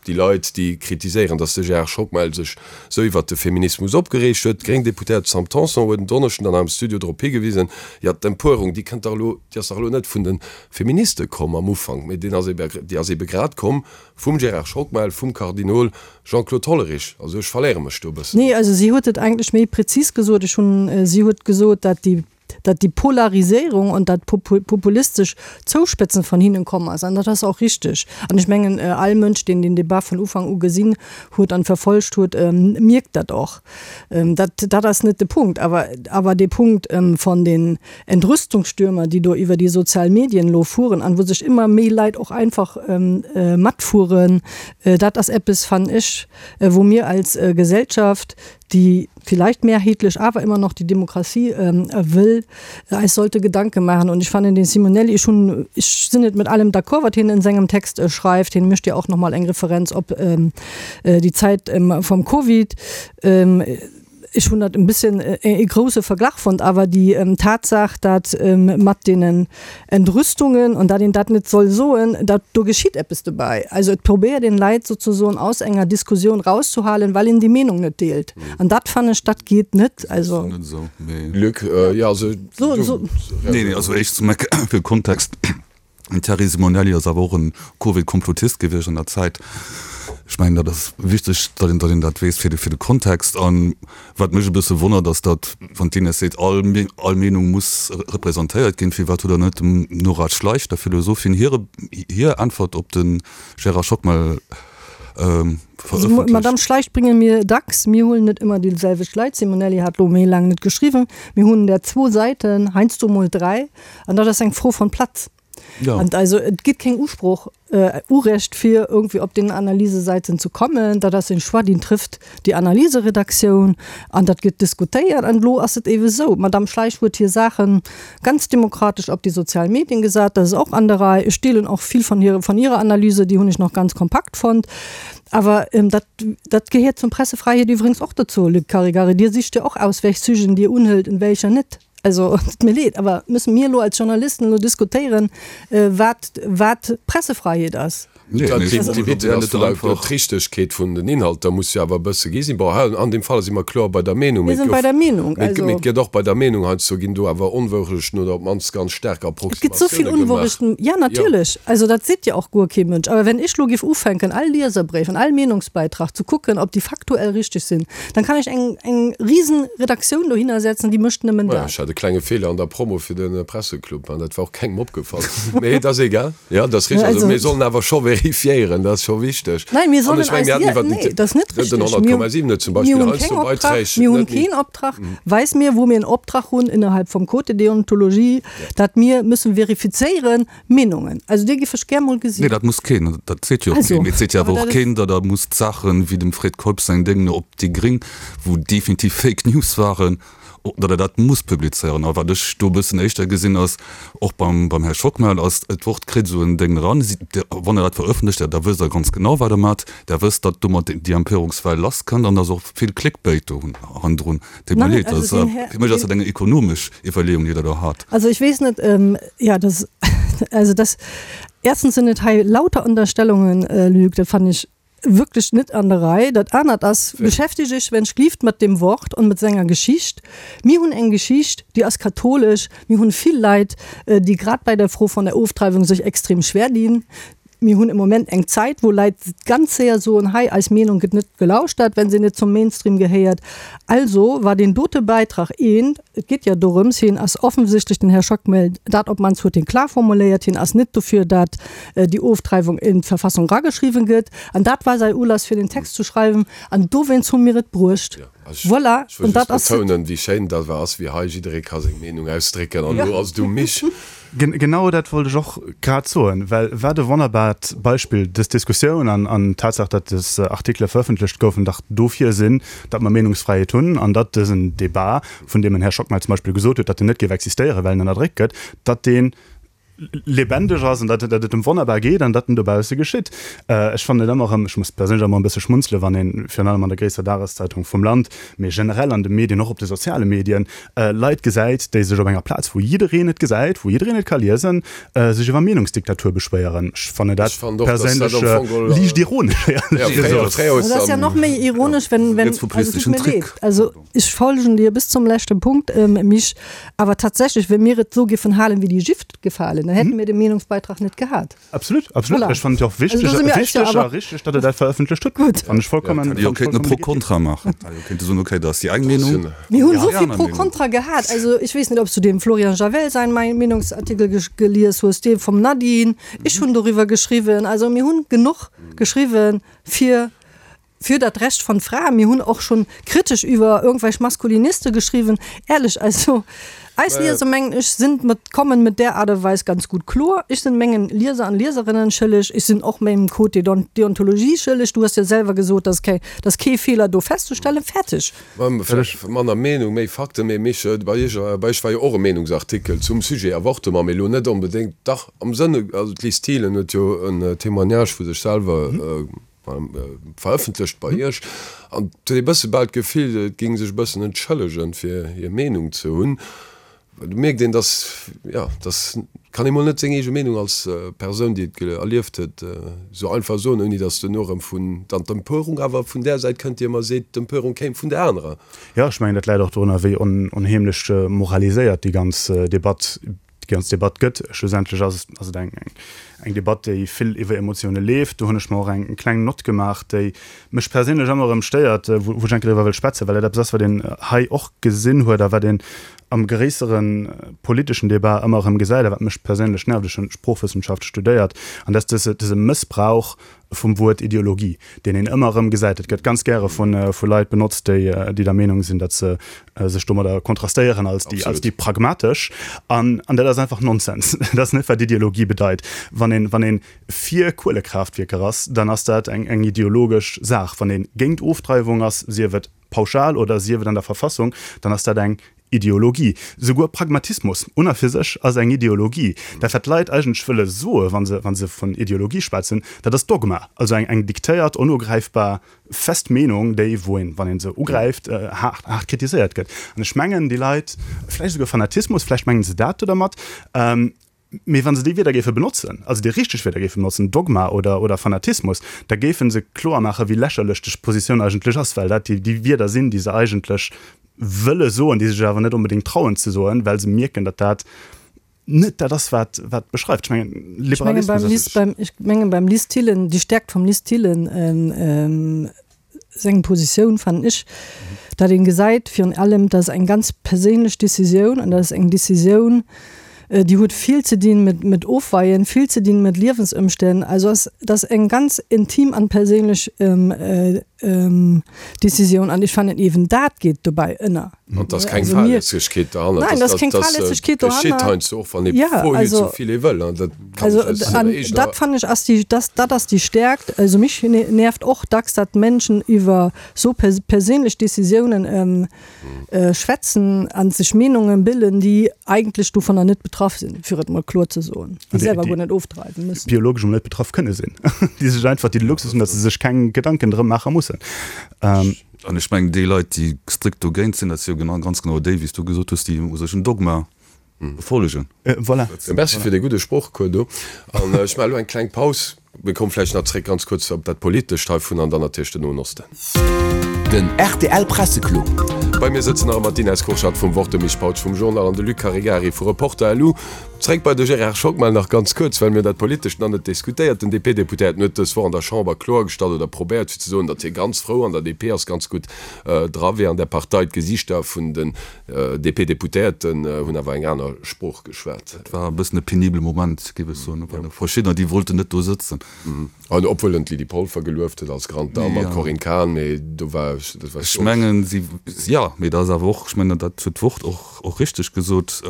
déi Leit, déi kritiséieren, datt de Gérard Schockmel sech sou iwwert de Feminismus opgereegt huet. D'gréng Deputéiert Sam Tanson huet en Donneschden dann am Studio drop higewisen, Jo, d'Empörung, déi kënnt dach elo, déi ass dach elo net vun de Feministe komm am Ufank, mee deen ass ebe, déi ass ebe grad komm vum Gérard Schockmel, vum Kardinol Jean-Claude Hollerich, Also ech verléiere mech do e bëssen. Nee, also si huet et eigentlech méi prezis gesot. Ech hunn, si huet gesot, dat déi, dat déi Polariséierung und dat populistesch Zouspëtzen von hinnen komm ass. An dat ass och richteg. An ech mengen, all Mënsch, deen deen Debat vun Ufank u gesinn huet an verfolgt huet, mierkt dat och. Dat, dat ass net de Punkt. Awer, awer dee Punkt von den Entrüstungsstürmer, déi do iwwer déi sozial Medien elo fueren an wou sech ëmmer méi Leit och einfach matfueren, dat ass eppes, fannen ech, wou mir als Gesellschaft, déi vielleicht mehrheetlich awer ëmmer noch déi Demokratie wëll, eis sollte Gedanke maachen. Und ech fannen den Simonelli, ech hunn, ech sinn net mat allem d'accord, wat hien in sengem Text schreift, hien mécht jo och nach mol eng Referenz op déi Zäit vum Covid, Ech hunn dat en bësschen e grousse Verglach fonnt, awer déi Tatsaach, dat mat deenen Entrüstungen an dat een dat net soll soen, dat do geschitt eppes dobäi. Also et probéiert een Leit souzesoen aus enger Diskussioun rauszuhalen, well een déi Meenung net deelt. An dat fannen ech, dat geet net. Also. Luc, jo, also. Nee, nee, also éischtens emol fir de Kontext. Den Thierry Simonelli ass awer och en Covid-Komplotist gewiescht an der Zäit. Ech mengen, dat ass wichteg, datt een, datt een dat weess fir de, fir de Kontext. A wat mech e bësse wonnert, ass, datt, wann d'Ines seet, all, all Meenung muss representéiert ginn, firwat huet der net dem Nora Schleich, der Philosophin, hire, hir Äntwert op de Gérard Schockmel verëffentlecht? D'Madame Schleich brénge mir dacks. Mir huelen net ëmmer déi selwecht Leit. D'Simonelli hat lo méi laang net geschriwwen. Mir hunn der zwou Säiten, heiansdo mol 3. An dat ass eng Fro von Platz. An also et gëtt keng Usproch, Urecht fir irgendwie op den Analysesäiten ze kommen. Dat ass en Choix, deen trifft déi Analyseredaktioun an dat gëtt diskutéiert. An elo ass et ewe sou, d'Madame Schleich huet hir Saache ganz demokratesch op déi sozial Medien gesat, dat ass och an der Rei. Ech deelen och vill vun hire, vun hirer Analyse, déi hunn ech nach ganz kompakt fonnt. Awer dat, dat gehéiert zum Pressefräiheet iwwregens och dozou, Luc Caregari. Dir sicht jo och aus, welch Sujeten Dir unhëlt und welcher net. Also, et tut mir leed, awer müssen mir elo als Journalisten elo diskutéieren, wat, wat Pressefreiheet ass? Nee, D'Richtegkeet vun den Inhalter muss jo awer e bësse gi sinn. Bon, an deem Fall si mer kloer bei der Meenung. Mir sinn bei der Meenung. Also. Mee et gëtt och bei der Meenung, heiansdo ginn do awer Onwourechten oder op d'mannst ganz staark Et gëtt esou vill Approximatioune gemaach. Onwourechten. Ja, natierlech. Also dat seet jo och guer kee Mënsch. Awer wenn ech elo géif ufänken, all Lieserbréif an all Meenungsbeitrag ze kucken, ob déi faktuell richteg sinn, Dann kann ech eng eng riesen Redaktioun dohinner setzen, déi mécht nëmmen dat. Ech hat e klenge Feeler an der Promo fir de Presseclub an dat war och kengem opgefall. Mee et ass egal. Jo, dat ass richteg. Also mir sollen awer scho verifiéieren, dat ass scho wichteg. Nein, mir sollen eis, nee, dat ass net richteg. Den 100,7 huet zum Beispill heiansdo Beiträg. Mir hunn keen Optrag. Weis mir, wou mir en Optrag hunn innerhalb vum Code de déontologie, dat mir müssen verifizéieren, Meenungen. Also déi géif ech gär mol gesinn. Nee, dat muss keen, dat seet jo och keen. Mee et seet jo awer och keen, datt Der musst Saachen, wéi dem Fred Keup säin Déng op déi Gréng, wou definitiv Fake News waren, datt Der dat musst publizéieren. A wat ech do e bëssen éischter gesinn ass, och beim, beim Här Schockmel, ass, d'Wort kritt esou en Déng eran, wann Der dat verëffentlecht, da wësst Der ganz genau, wat Der maacht, Da wësst, datt domat déi Empörungswell lasskënnt an datt och vill Clickbait do hannendrun. Deet mer leed, fir mech ass dat eng ekonomesch Iwwerleeung, déi Der do hat. Also ech weess net, jo, dass, also dass, erstens sinn et hei lauter Unterstellungen, Luc, dat fannen ech wierklech net an der Rei. Dat anert ass, beschäftige ech, wenn ech glift, mat dem Wort und mat senger Geschicht. Mir hunn eng Geschicht, déi ass katholisch. Mir hunn vill Leit, déi grad bei der Fro von der Ofdreiwung sech extrem schwer dinn. Mir hunn am Moment eng Zäit, wou Leit ganz séier soen, hei, eis Meenung gëtt net gelauschtert, wenn se net zum Mainstream gehéiert. Also war deen dote Bäitrag een, et geet jo dorëms, hien ass offensichtlech, den Här Schockmel, dat op d'mannst huet hien klar formuléiert, hien ass net dofir, dat déi Ofdreiwung in d'Verfassung erageschriwwen gëtt. An dat war säi Ulass, fir den Text ze schreiwen. An dowéinst hu mir et bruecht. Voilà, Ech wëll just betounen, wéi schéin dat awer ass, wéi hei jidderee ka seng Meenung ausdrécken. An elo ass et u mich. Genau dat wollt ech och grad soen, well wat e wonnerbart Beispill dës Diskussioun an an d'Tatsaach, datt dës Artikele verëffentlecht goufen, dach dofir sinn, datt mer Meenungsfräiheet hunn an datt dësen Débat, vun deem en Här Schockmel zum Beispill gesot huet, datt en net géif existéieren, well en ënnerdréckt gëtt, datt dee lebendeg ass an datt et em wonnerbar geet an datt en dobausse geschitt. Ech fannen et ëmmer erëm, ech muss perséinlech ëmmer e bësse schmunzelen, wann een, virun allem an der gréisster Dageszeitung vum Land, mee generell an de Medien, och op de soziale Medien, Leit gesäit, déi sech op enger Plaz, wou jiddereen et gesäit, wou jiddereen et ka liesen, sech iwwer Meenungsdiktatur beschwéieren. Ech fannen dat perséinlech liicht ironesch, éierlech gesot. Dat ass ja nach méi ironesch, wenn, wenn, also tut mir leed, also ech folgen dir bis zum leschten Punkt, Misch, awer tatsächlech, wenn mir et esou géifen halen, wéi déi Gift gefalen, dann hätte mir de Meenungsbeitrag net gehat. Absolut, absolut. Voilà. Ech fannen et jo och wichteg, also, wichteg a richteg, datt Der dat verëffentlecht hutt. Gutt. Fannen ech vollkommen. Jo, kéint e Pro Kontra maachen. Jo, kéint e soen, okay, dat ass déi eng Meenung. Mir hunn esou vill Pro Kontra gehat. Also ech weess net, ob s du dem Florian Javel säin Meenungsartikel gelies hues, dee vum Nadine. Ech hunn doriwwer geschriwwen. Also mir hunn genuch geschriwwen fir Für dat Recht von Fraen, mir hunn och schon kritesch iwwer irgendwelch Maskuliniste geschriwwen. Ehrlech, also eis Lieser, mengen ech, sind mat, kommen mit där Art a Weis ganz gut kloer. Ech sinn mengen Lieser an Lieserinnen schëlleg, ech sinn och mengem Code de déontologie schëlleg. Du hues jo selwer gesot, dass keng, dass kee Feeler do festzestellen. Fertig. Vläch manner Meenung, méi Fakten. Mee Misch, bei iech, bei iech war jo och e Meenungsartikel zum Sujet Avortement, mee elo net onbedéngt, dach am Sënne, also d'Liz Thielen huet jo en Témoignage vu sech selwer Verëffentlecht bei Iech an et huet ee bësse bal d'Gefill, et géing sech e bëssen entschëllegen, fir hir Meenung ze hunn. Do mierkt een, dass, jo, dass kann ee mol net seng eege Meenung als Persoun, déi et erlieft huet, esou einfach soen, ouni dass duerno erëm vun dann d'Empörung awer vun där Säit kënnt, déi ëmmer seet, d'Empörung kéim vun där anerer. Jo, ech mengen, dat läit och dorunner, wéi onheemlech moraliséiert déi ganz Debatt déi ganz Debatt gëtt. Schlussendlech ass et eng eng Debatt, déi vill iwwer Emotioune leeft. Do hunn ech mer och eng kleng Nott gemaach, déi mech perséinlech ëmmer erëm stéiert, wou ech eng Kéier driwwer wëll schwätzen, well dat eppes ass, wat een hei och gesinn huet a wat een am gréissere politeschen Debat ëmmer erëm gesäit a wat mech perséinlech nervt. Ech hunn Sproochwëssenschaft studéiert an dat ass dëse Mëssbrauch. vum Wuert Ideologie, deen een ëmmer erëm gesäit. Et gëtt ganz gäre vu Leit benotzt, déi déi der Meenung sinn, datt se sech domadder kontrastéieren als déi als déi pragmatesch. An an dat ass einfach Nonsens. Dat ass net wat Ideologie bedeit. Wann een wann een fir Kuelekraaftwierker ass, dann ass dat eng eng ideologesch Saach. Wann een géint Ofdreiwung ass, sief et pauschal oder sief et an der Verfassung, dann ass dat eng Ideologie. Souguer Pragmatismus un a fir sech ass eng Ideologie. Dat wat d'Leit eigentlech wëlle soe wa se wa se vun Ideologie schwätzen, dat ass Dogma, also eng eng diktéiert, onugräifbar, fest Meenung, déi wou een, wann ee se ugräift, haart haart kritiséiert gëtt. An ech mengen déi Leit, vläicht esouguer Fanatismus, vläicht mengen se dat do dermat, Mee wa se déi Wierder géife benotzen, also déi richteg Wierder géife benotzen, Dogma oder, oder Fanatismus, da géife se kloer maachen, wéi lächerlech dech Positioun eigentlech ass, well dat déi, déi Wierder sinn, déi se eigentlech wëlle soen, déi sech awer net onbedéngt trauen ze soen, well se mierken, datt dat net dat ass, wat, wat beschreift. Ech mengen, Liberalismus ass. Ech mengen, beim Liz Thillen, déi Stärkt vum Liz Thillen, seng Positioun fannen ech, datt een gesäit virun allem, dat ass eng ganz perséinlech Décisioun an dat ass eng Décisioun, déi huet vill ze dinn met met Ofweien, vill ze dinn met Liewensëmstänn. Also ass dat ass eng ganz intim an perséinlech Décisioun an ech fannen eeben dat geet dobäi ënner. An et ass keng Fahrlässegkeet dohannert. Nein, et ass keng Fahrlässegkeet dohannert. Dat geschitt heiansdo och, wann ee vorhiert, sou vill ee wëll. An dat kann ech aus eegener. Dat fannen ech ass déi, dat, dat ass déi Stärkt. Also mich nervt och dacks, datt Menschen iwwer sou perséinlech Décisiounen schwätzen an sech Meenungen bilden, déi eigentlech dovunner net betraff sinn, fir et mol kloer ze soen, déi selwer guer net ofdreiwen müssen. Biologesch emol net betraff kënne sinn, déi sech einfach, déi de Luxus hunn, datt se sech keng Gedanken drëm maache mussen. An ech mengen, déi Leit, déi strikt dogéint sinn, dat si jo genau, ganz genau déi, wéi s du gesot hues, déi u sech en Dogma befollegen. Voilà. Merci fir dee gudde Sproochcours do. An ech maache elo eng kleng Paus. Mir komme vläicht nach zréck ganz kuerz op dat Politescht heivun an dann natierlech den Noen Osten. Den rtl Presseclub. Bei mir sëtzen nach ëmmer d'Ines Kurschat vum Wort, de Misch Pautsch vum Journal an de Luc Caregari vu Reporter. Zréck bei de Gérard Schockmel nach ganz kuerz, well mir dat Politescht nach net diskutéiert. Den DP-Deputéierten huet dës Woch an der Chamber kloergestallt oder probéiert fir ze soen, datt hie ganz frou an der DP ass, ganz gutt dra wier an där Partei. D'Gesiichter vun den DP-Deputéierten hunn awer eng aner Sprooch geschwat. Dat war e bëssen e penibele Moment, géif ech soen. Verschiddener, déi wollten net do sëtzen. An obwuel en d'Lydie Polfer gelueft huet als Grande Dame an d'Corinne Cahen, mee do war, dat war Ech mengen, si, jo, mee dat ass awer och, ech mengen, dat huet d'Wort och, och richteg gesot,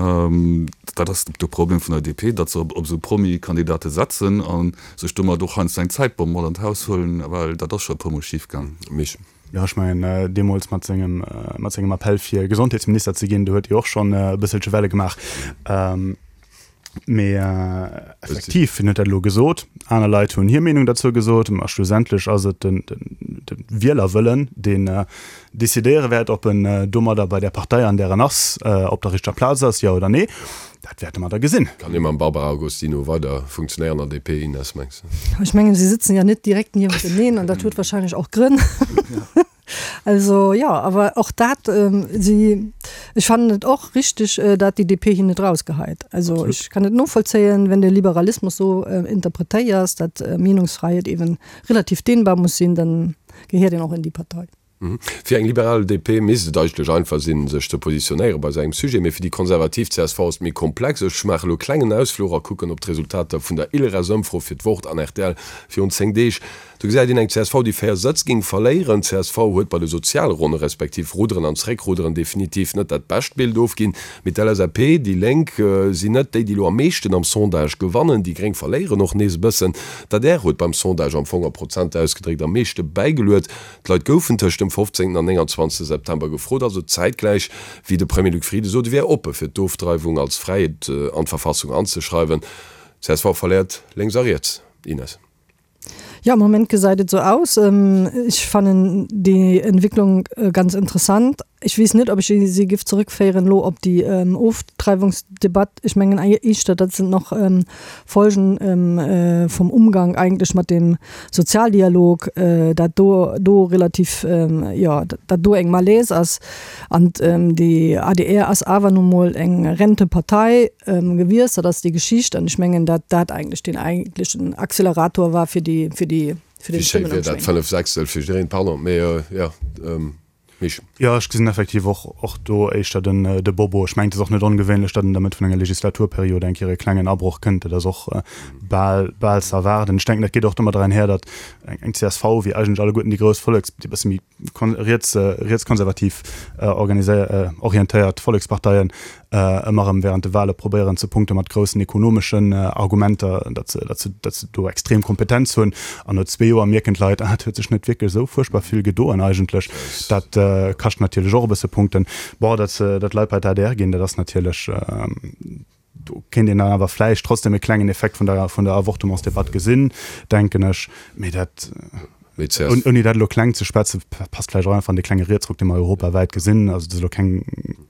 dat ass de Problem vun der DP, datt se op esou Promi-Kandidate setzen a sech domat och heiansdo eng Zäitbomm mat an d'Haus huelen, well dat ass scho e puermol schifgaang. Mich. Jo, ech mengen, deemools mat sengem, mat sengem Appell fir Gesondheetsminister ze ginn, do huet e och schonn e bësselche Welle gemaach. Mee effektiv, hien huet dat elo gesot, aner Leit hunn hir Meenung derzou gesot, ma schlussendlech ass et den Wielerwëllen, deen decidéiere wäert, ob en domadder bei där Partei, an där en ass, op der richteger Plaz ass, jo oder nee. Dat wäerte mer da gesinn. Kann ee mam Barbara Agostino weider funktionéieren an der DP, Ines, mengs de? Ech mengen, si sëtzen jo net direkt niewenteneen an dat huet wahrscheinlech och Grënn. Also jo, awer och dat, si, ech fannen et och richteg, dat déi DP hien net rausgeheit. Also ech kann et novollzéien, wenn de Liberalismus sou interpretéiers, dat Meenungsfräiheet eben relativ dehnbar muss sinn, dann gehéiert een och in déi Partei. Fir eng liberal DP misst et eigentlech einfach sinn, sech ze positionéiere bei esou engem Sujet, mee fir déi konservativ csv ass et méi komplex. Ech maache elo e klengen Ausfluch a kucken op d'Resultater vun der ILReS-Ëmfro fir d'Wort an rtl virun 10 Deeg. Do gesäit een eng csv, déi 4 Sëtz géing verléieren. Csv huet bei de Sozialronne respektiv Rudderen an Zréckrudderen definitiv net dat bescht Bild ofginn. Mee d'LSAP, déi Lénk sinn net déi, déi elo am meeschten am Sondage gewannen. Déi Gréng verléieren och nees e bëssen. D'adr huet beim Sondage am Fong a Prozenter ausgedréckt am meeschte bäigeluet. D'Leit goufen tëscht dem 15 an 29 September gefrot, also zäitgläich wéi de Premier Luc Frieden sot, e wier oppe fir d'Ofdreiwung als Fräiheet an d'Verfassung anzeschreiwen. Csv verléiert lénks a riets. Ines. Ja, am Moment gesäit et sou aus. Ech fannen déi Entwécklung ganz interessant. Ech weess net, ob ech si giff zurückféieren elo op déi Ofdreiwungsdebatt. Ech mengen éischter, dat sind nach Folgen vum Umgang eigentlech mat dem Sozialdialog, dat do do relativ, jo, dat do eng Malaise ass. An déi adr ass awer nu mol eng Rentepartei gewiescht, dat ass déi Geschicht. An ech mengen, dat dat eigentlech deen eigentlechen Accelerator war fir déi, fir déi, fir den Wéi schéi wier dat, 5 Sechstel fir jiddereen, pardon, mee jo. Mich. Jo, ech gesinn effektiv och och do éischter den de Bobo. Ech mengen, et ass och net ongewéinlech, datt an der Mëtt vun enger Legislaturperiod eng Kéier e klengen Abroch kënnt. Dat ass och bal bal ze erwaarden. Ech denken, dat geet och domadder einher, datt eng csv, wéi eigentlech alleguerten déi grouss Volleks-, déi e bësse méi kon riets rietskonservativ organiséiert orientéiert Volleksparteien, ëmmer erëm während de Wahle probéieren ze punkte mat groussen ekonomeschen Argumenter, datt se, datt se, datt se do extrem Kompetenz hunn. An no zwee Joer mierken d'Leit, ah, et huet sech net wierklech esou fuerchtbar vill gedoen eigentlech. Dat kascht natierlech och e bësse Punkten. Bon, datt se, datt d'Leit bei d'ADR ginn, dat ass natierlech, do kéint een dann awer vläicht trotzdem e klengen Effekt vun der, vun der Avortementsdebatt gesinn, denken ech. Mee dat. Ouni dat elo kleng ze schwätzen, passt vläicht och einfach an dee klenge Rietsruck, dee mer europawäit gesinn. Also dat ass elo keng,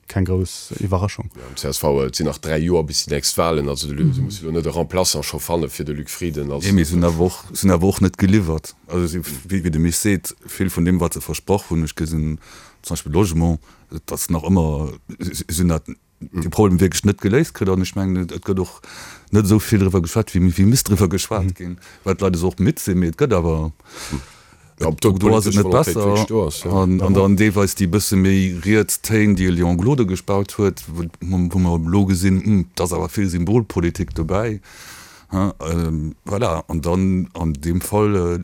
keng grouss Iwwerraschung. Jo, csv, et sinn nach 3 Joer bis déi nächst Wahlen. Also de Luc, se musse elo net e Remplaçant scho fanne fir de Luc Frieden. Also. Nee, mee se hunn awer och, se hunn awer och net geliwwert. Also si, wéi de Misch seet, vill vun deem, wat se versprach hunn, ech gesinn zum Beispill Logement, et ass nach ëmmer, si hunn dat de Problem wierklech net geléist kritt. An ech mengen, et gëtt och net esou vill driwwer geschwat, wéi wéi misst driwwer geschwat ginn, well d'Leit es och midd sinn. Mee et gëtt awer, do ass et net besser. An an dann deelweis déi bësse méi riets Téin, déi e Léon Gloden gespaut huet, wou mer elo gesinn, hm, et ass awer vill Symbolpolitik dobäi. Voilà, an dann an deem Fall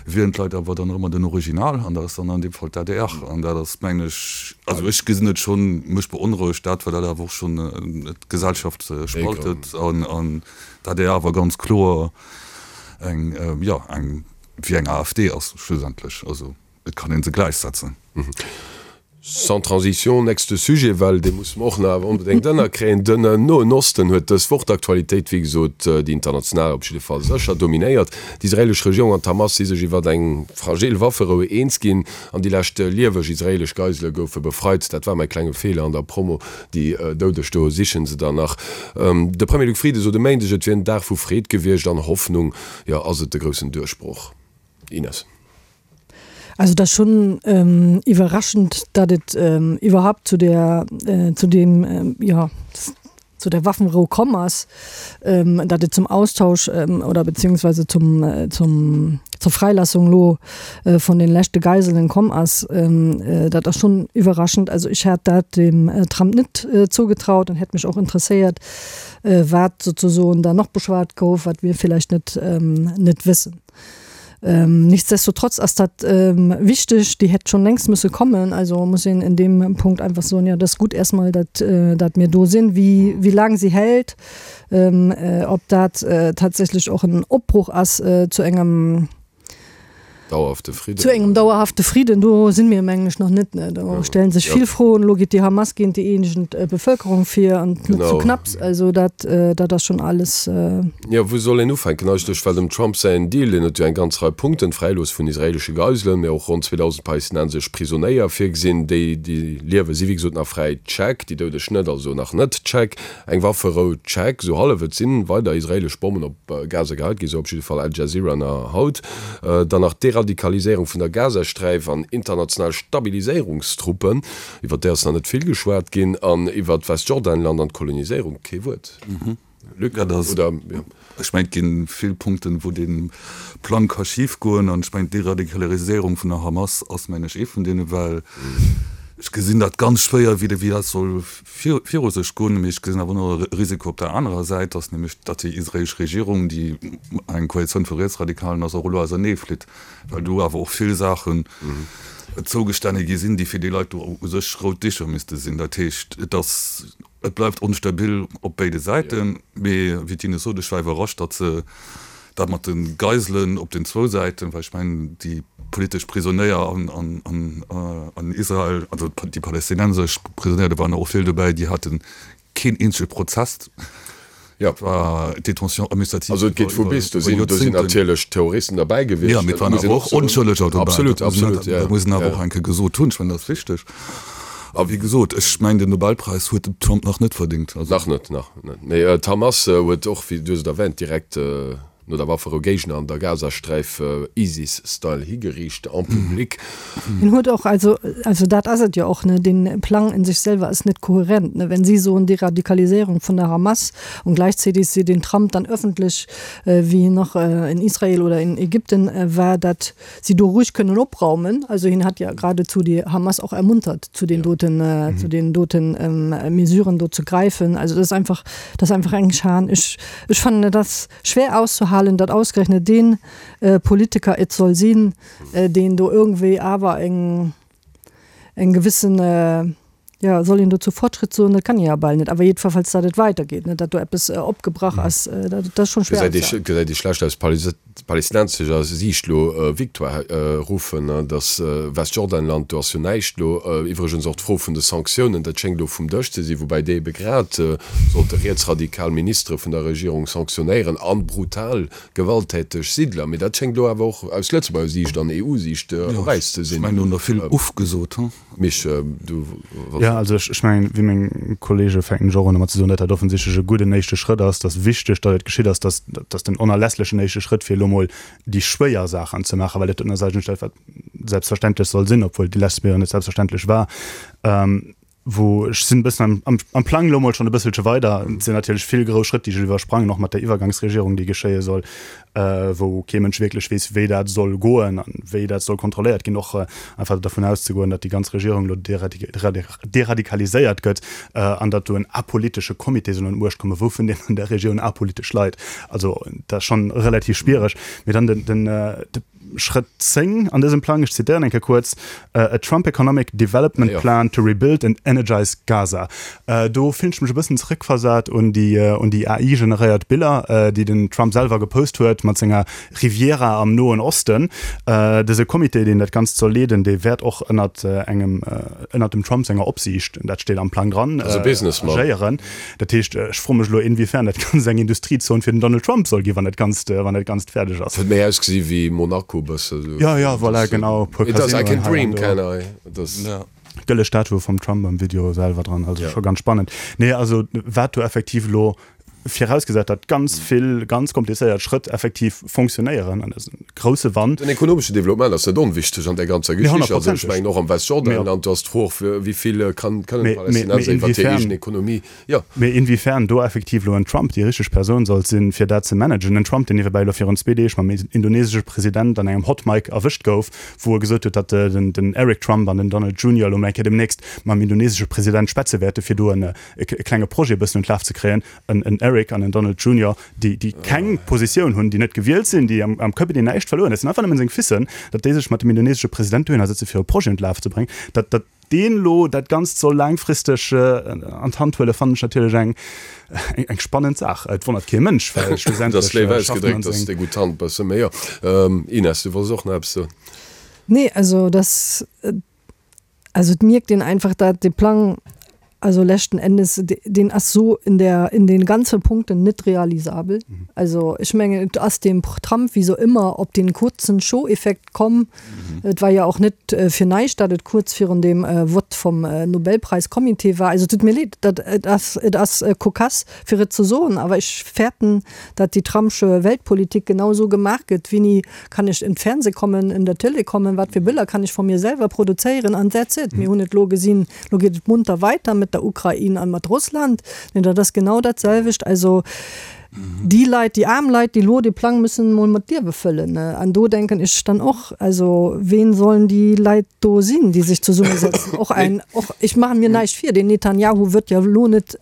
wielen d'Leit awer dann nach ëmmer den Original, an dat ass dann an deem Fall d'ADR. An dat ass, mengen ech, also ech gesinn et schonn, mech beonrouegt dat, well dat awer och schonn d'Gesellschaft spaltet an d'ADR awer ganz kloer eng, jo, eng wéi eng AfD ass schlussendlech. Also et kann ee se gläichsetzen. Sans transition, nächste Sujet, well dee musse mer och nach awer onbedéngt ënnerkréien. Den Noen Osten huet dës Woch d'Aktualitéit, wéi gesot, déi international op jidde Fall sécher dominéiert. D'israeelesch Regierung an d'Hamas si sech iwwer eng fragil Wafferou eens ginn an déi lescht lieweg israeelesch Geisele goufe befreit. Dat war mäi klenge Feeler an der Promo. Déi Doudeg do sichen se dann nach. De Premier Luc Frieden sot e Méindeg, et wier en Dag vu Freed gewiescht an Hoffnung. Jo, ass et de groussen Duerchbroch, Ines? Also dat ass schonn iwwerraschend, datt et iwwerhaupt zu där, zu deem, jo, zu der Waffenrou komm ass, datt et zum Austausch oder beziehungsweise zum, zum, zur Freilassung elo vun den leschte Geiselen komm ass. Dat ass schonn iwwerraschend. Also ech hätt dat dem Trump net zougetraut an hätt mech och interesséiert, wat sozusoen da nach beschwat gouf, wat mir vielleicht net, net wëssen. Nichtsdestotrotz ass dat wichteg, déi hätt schonn längst musse kommen. Also muss een in deem Punkt einfach soen, jo, dat ass gutt erstmal, datt, datt mir do sinn. Wéi, wéi laang se hält, ob dat tatsächlech och en Opbruch ass zu engem, Dauerhafte Fridden. Zu engem dauerhafte Fridden, do si mir, mengen ech, nach net. Do stelle sech vill Froen. Elo geet déi Hamas géint déi eegent Bevëlkerung vir an net zu knapps. Also dat, dat ass schonn alles. Jo, wou soll een ufänken eigentlech? Well dem Trump säin Deal, deen huet jo eng ganz Rei Punkten, d'Fräilooss vun israeelesche Geiselen, mee och ronn 2.000 palästinensesch Prisonéier virgesinn. Déi, déi liewe si wéi gesot nach fräi, check, déi Doudeg net, also nach net, check. Eng Wafferou, check, sou hallef. Et sinn weider israeelesch Bommen op Gaza geheit ginn, sou op jidde Fall Al Jazeera nach haut. Dann nach d'Deradikaliséierung vun der Gazasträif an international Stabiliséierungstruppen, iwwer déi ass nach net vill geschwat ginn. An iwwer d'Westjordanland an d'Koloniséierung kee Wuert. Luc, oder? Ech mengen, et gi vill Punkten, wou dee Plang ka schifgoen. An ech mengen, d'Deradikaliséierung vun der Hamas ass, mengen ech, ee vun deene, well ech gesinn dat ganz schwéier, wéi dat soll viru sech goen. Mee ech gesinn awer och nach e Risiko op der anerer Säit, dass nämlech datt déi israeelesch Regierung, déi eng Koalitioun vu Rietsradikalen ass, och elo auserneeflitt, well do awer och vill Saachen Zougestänne gi sinn, déi fir déi Leit do u sech rout Dicher misste sinn. Dat heescht, et ass, et bleift onstabil op béide Säiten. Mee wéi d'Ines sot, ech war iwwerrascht, datt se Dat mat de Geiselen op den zwou Säiten, well ech mengen, déi politesch Prisonéier an Israel, also déi palästinensesch Prisonéier, do waren der och vill dobäi, déi hate keen eenzege Prozess. Dat war Détention administrative Also et geet vu bis. Do sinn, do sinn natierlech Terroristen derbäi gewiescht. Jo, mee et waren awer och Onschëlleger dobäi. Absolut, absolut, jo. Dat muss een awer och eng Kéier gesot hunn. Ech mengen, dat ass wichteg. A wéi gesot, ech mengen, den Nobelpräis huet den Trump nach net verdéngt. Nach net, nach net. Mee d'Hamas huet och, wéi du hues et erwänt, direkt. No der Wafferou Géigner an der Gazasträif ISIS-Style higeriicht en public. Hien huet och, also, also dat ass et jo och, ne, den Plang in sich selwer ass net kohärent, ne, wenn si soen Deradikalisierung vun der Hamas und gleichzeitig si den Trump dann öffentlich, wéi hien nach in Israel oder in Ägypten war, dat si do ruhig kënnen opraumen. Also hien hat ja geradezu die Hamas och ermuntert, zu den doten, zu den doten Mesuren do ze greifen. Also dat ass einfach, dat ass einfach eng Schan. Ech, ech fannen et ass schwer auszuhalen, datt ausgerechnet dee Politiker et soll sinn, deen do iergendwéi awer eng, eng gewissen, jo, soll een dozou Fortschritt soen, dat kann ee jo bal net, awer jiddwerfalls, datt et weidergeet, net datt do eppes opgebrach ass, dat ass schonn schwer auszuhalen. Gesäit ee schlecht aus palestinensescher Siicht lo Victoire ruffen, datt Westjordanland, do ass jo näischt lo. Iwwregens och d'Fro vun de Sanktiounen, dat schéngt elo vum Dësch ze sinn, woubäi déi ebe grad sollte rietsradikal Ministere vun der Regierung sanktionéieren an brutal gewalttäteg Siddler. Mee dat schéngt elo awer och aus Lëtzebuerger Siicht an EU-Siicht eräis ze sinn. Ech mengen, do hunn der vill uff gesot, hu? Mich, du was? Jo, also ech mengen, wéi meng Kollege fänken ech och un domat ze soen, datt dat offensichtlech e gudden éischte Schrëtt ass, datt wichteg, datt et geschitt ass, datt datt den onerlässlechen éischte Schrëtt fir elo mol déi schwéier Saachen ze maachen, well dat doten ass eigentlech dat wat selbstverständlech soll sinn, obwuel déi lescht Méint net selbstverständlech war. Wou ech sinn e bëssen am, am, am Plang elo mol schonn e bësselche weider. Et sinn natierlech vill grouss Schrëtt, déi ech iwwersprangen, och mat der Iwwergangsregierung, déi geschéie soll, wou kee Mënsch wierklech weess, wéi dat soll goen an wéi dat soll kontrolléiert ginn. Och einfach dervun auszegoen, datt déi ganz Regierung elo deradikaliséiert gëtt an datt do en apolitesche Comité soll un d'Muecht kommen. Wou fënnt een an där Regioun apolitesch Leit? Also dat ass schonn relativ schwiereg. Mee dann den, den, de Schrëtt 10 an dësem Plang, ech zitéieren eng Kéier kuerz, A Trump economic development plan to rebuild and energize Gaza. Do fillen ech mech e bëssen zeréckversat un déi un déi AI-generéiert Biller, déi den Trump selwer gepost huet mat senger Riviera am Noen Osten. Dëse Comité, deen dat Ganzt soll leeden, dee wäert och ënnert engem ënnert dem Trump senger Opsiicht, dat steet am Plang dran, agéieren. Dat heescht, ech froe mech elo, inwiefern dat Ganzt eng Industriezon fir den Donald Trump soll ginn, wann dat Ganzt, wann dat Ganzt fäerdeg ass. Huet méi ausgesi wéi Monaco bësse sou. Jo, jo, voilà, genau, e puer Casinoen hei an do. Can I, et ass. Gëlle Statue vum Trump am Video selwer dran, also scho ganz spannend. Nee, also wat do effektiv elo, virausgesat datt ganz vill ganz komplizéiert Schrëtt effektiv fonctionnéieren, an dat ass e grousse Wann. Den ekonomeschen Developpement ass net onwichteg an där ganzer Geschicht. Also ech mengen och am Westjordanland, do ass d'Fro och, wéi vill kënnen d'Palästinenser iwwert hir eegen Ekonomie, jo. Mee inwiefern do effektiv elo en Trump déi richteg Persoun sollt sinn, fir dat ze managen, en Trump, deen niewebäi elo virun zwee Deeg mam indonesesche President an engem Hot Mic erwëscht gouf, wou e gesot huet, datt den Eric Trump an den Donald Junior elo mol eng Kéier demnächst mam indonesesche President schwätze wäerte fir do e klenge Projet e bëssen un d'Laf ze kréien, en Eric an en Donald Junior, déi, déi keng Positioun hunn, déi net gewielt sinn, déi am, am Cabinet näischt verluer hunn, dat sinn einfach nëmmen seng Fissen, datt déi sech mat dem indonesesche President dohinner sëtze fir e Projet un d'Laf ze bréngen, datt, datt deen elo dat Ganzt soll laangfristeg an d'Hand huelen, fannen ech natierlech eng, eng spannend Saach. Et wonnert kee Mënsch, well schlussendlech schafft en an seng. Dat ass léif ausgedréckt, dat ass degoutant bësse, mee jo. Ines, du wollts och nach eppes soen? Nee, also dass Also et mierkt een einfach, dat dee Plang, also leschten Endes, deen ass so in der, in den ganze Punkten net realisabel. Also ech mengen, et ass dem Trump wéi sou ëmmer op dee kurzen Show-Effekt komm. Et war jo och net fir näischt, dat et kuerz virun deem Vott vum Nobelpreiscomité war. Also et tut mir leed, dat et ass, et ass cocasse fir et ze soen, awer ech fäerten, dat déi Trumpsche Weltpolitik genau esou gemaach gëtt, Wéini kann ech en d'Fernseh kommen, en der Télé kommen, wat fir Biller kann ech vu mir selwer produzéieren an that's it. Mir hunn et lo gesinn, lo geet et munter weiter mit der Ukrain an mat Russland, nee dat ass genau dat selwecht. Also déi Leit, déi aarm Leit, déi lo dee Plang müssen emol mat Liewe fëllen, an do denken ech dann och, also ween sollen déi Leit do sinn, déi sech zesummesetzen? Och ein, och, ech maache mir näischt vir, den Netanjahu wërt jo lo net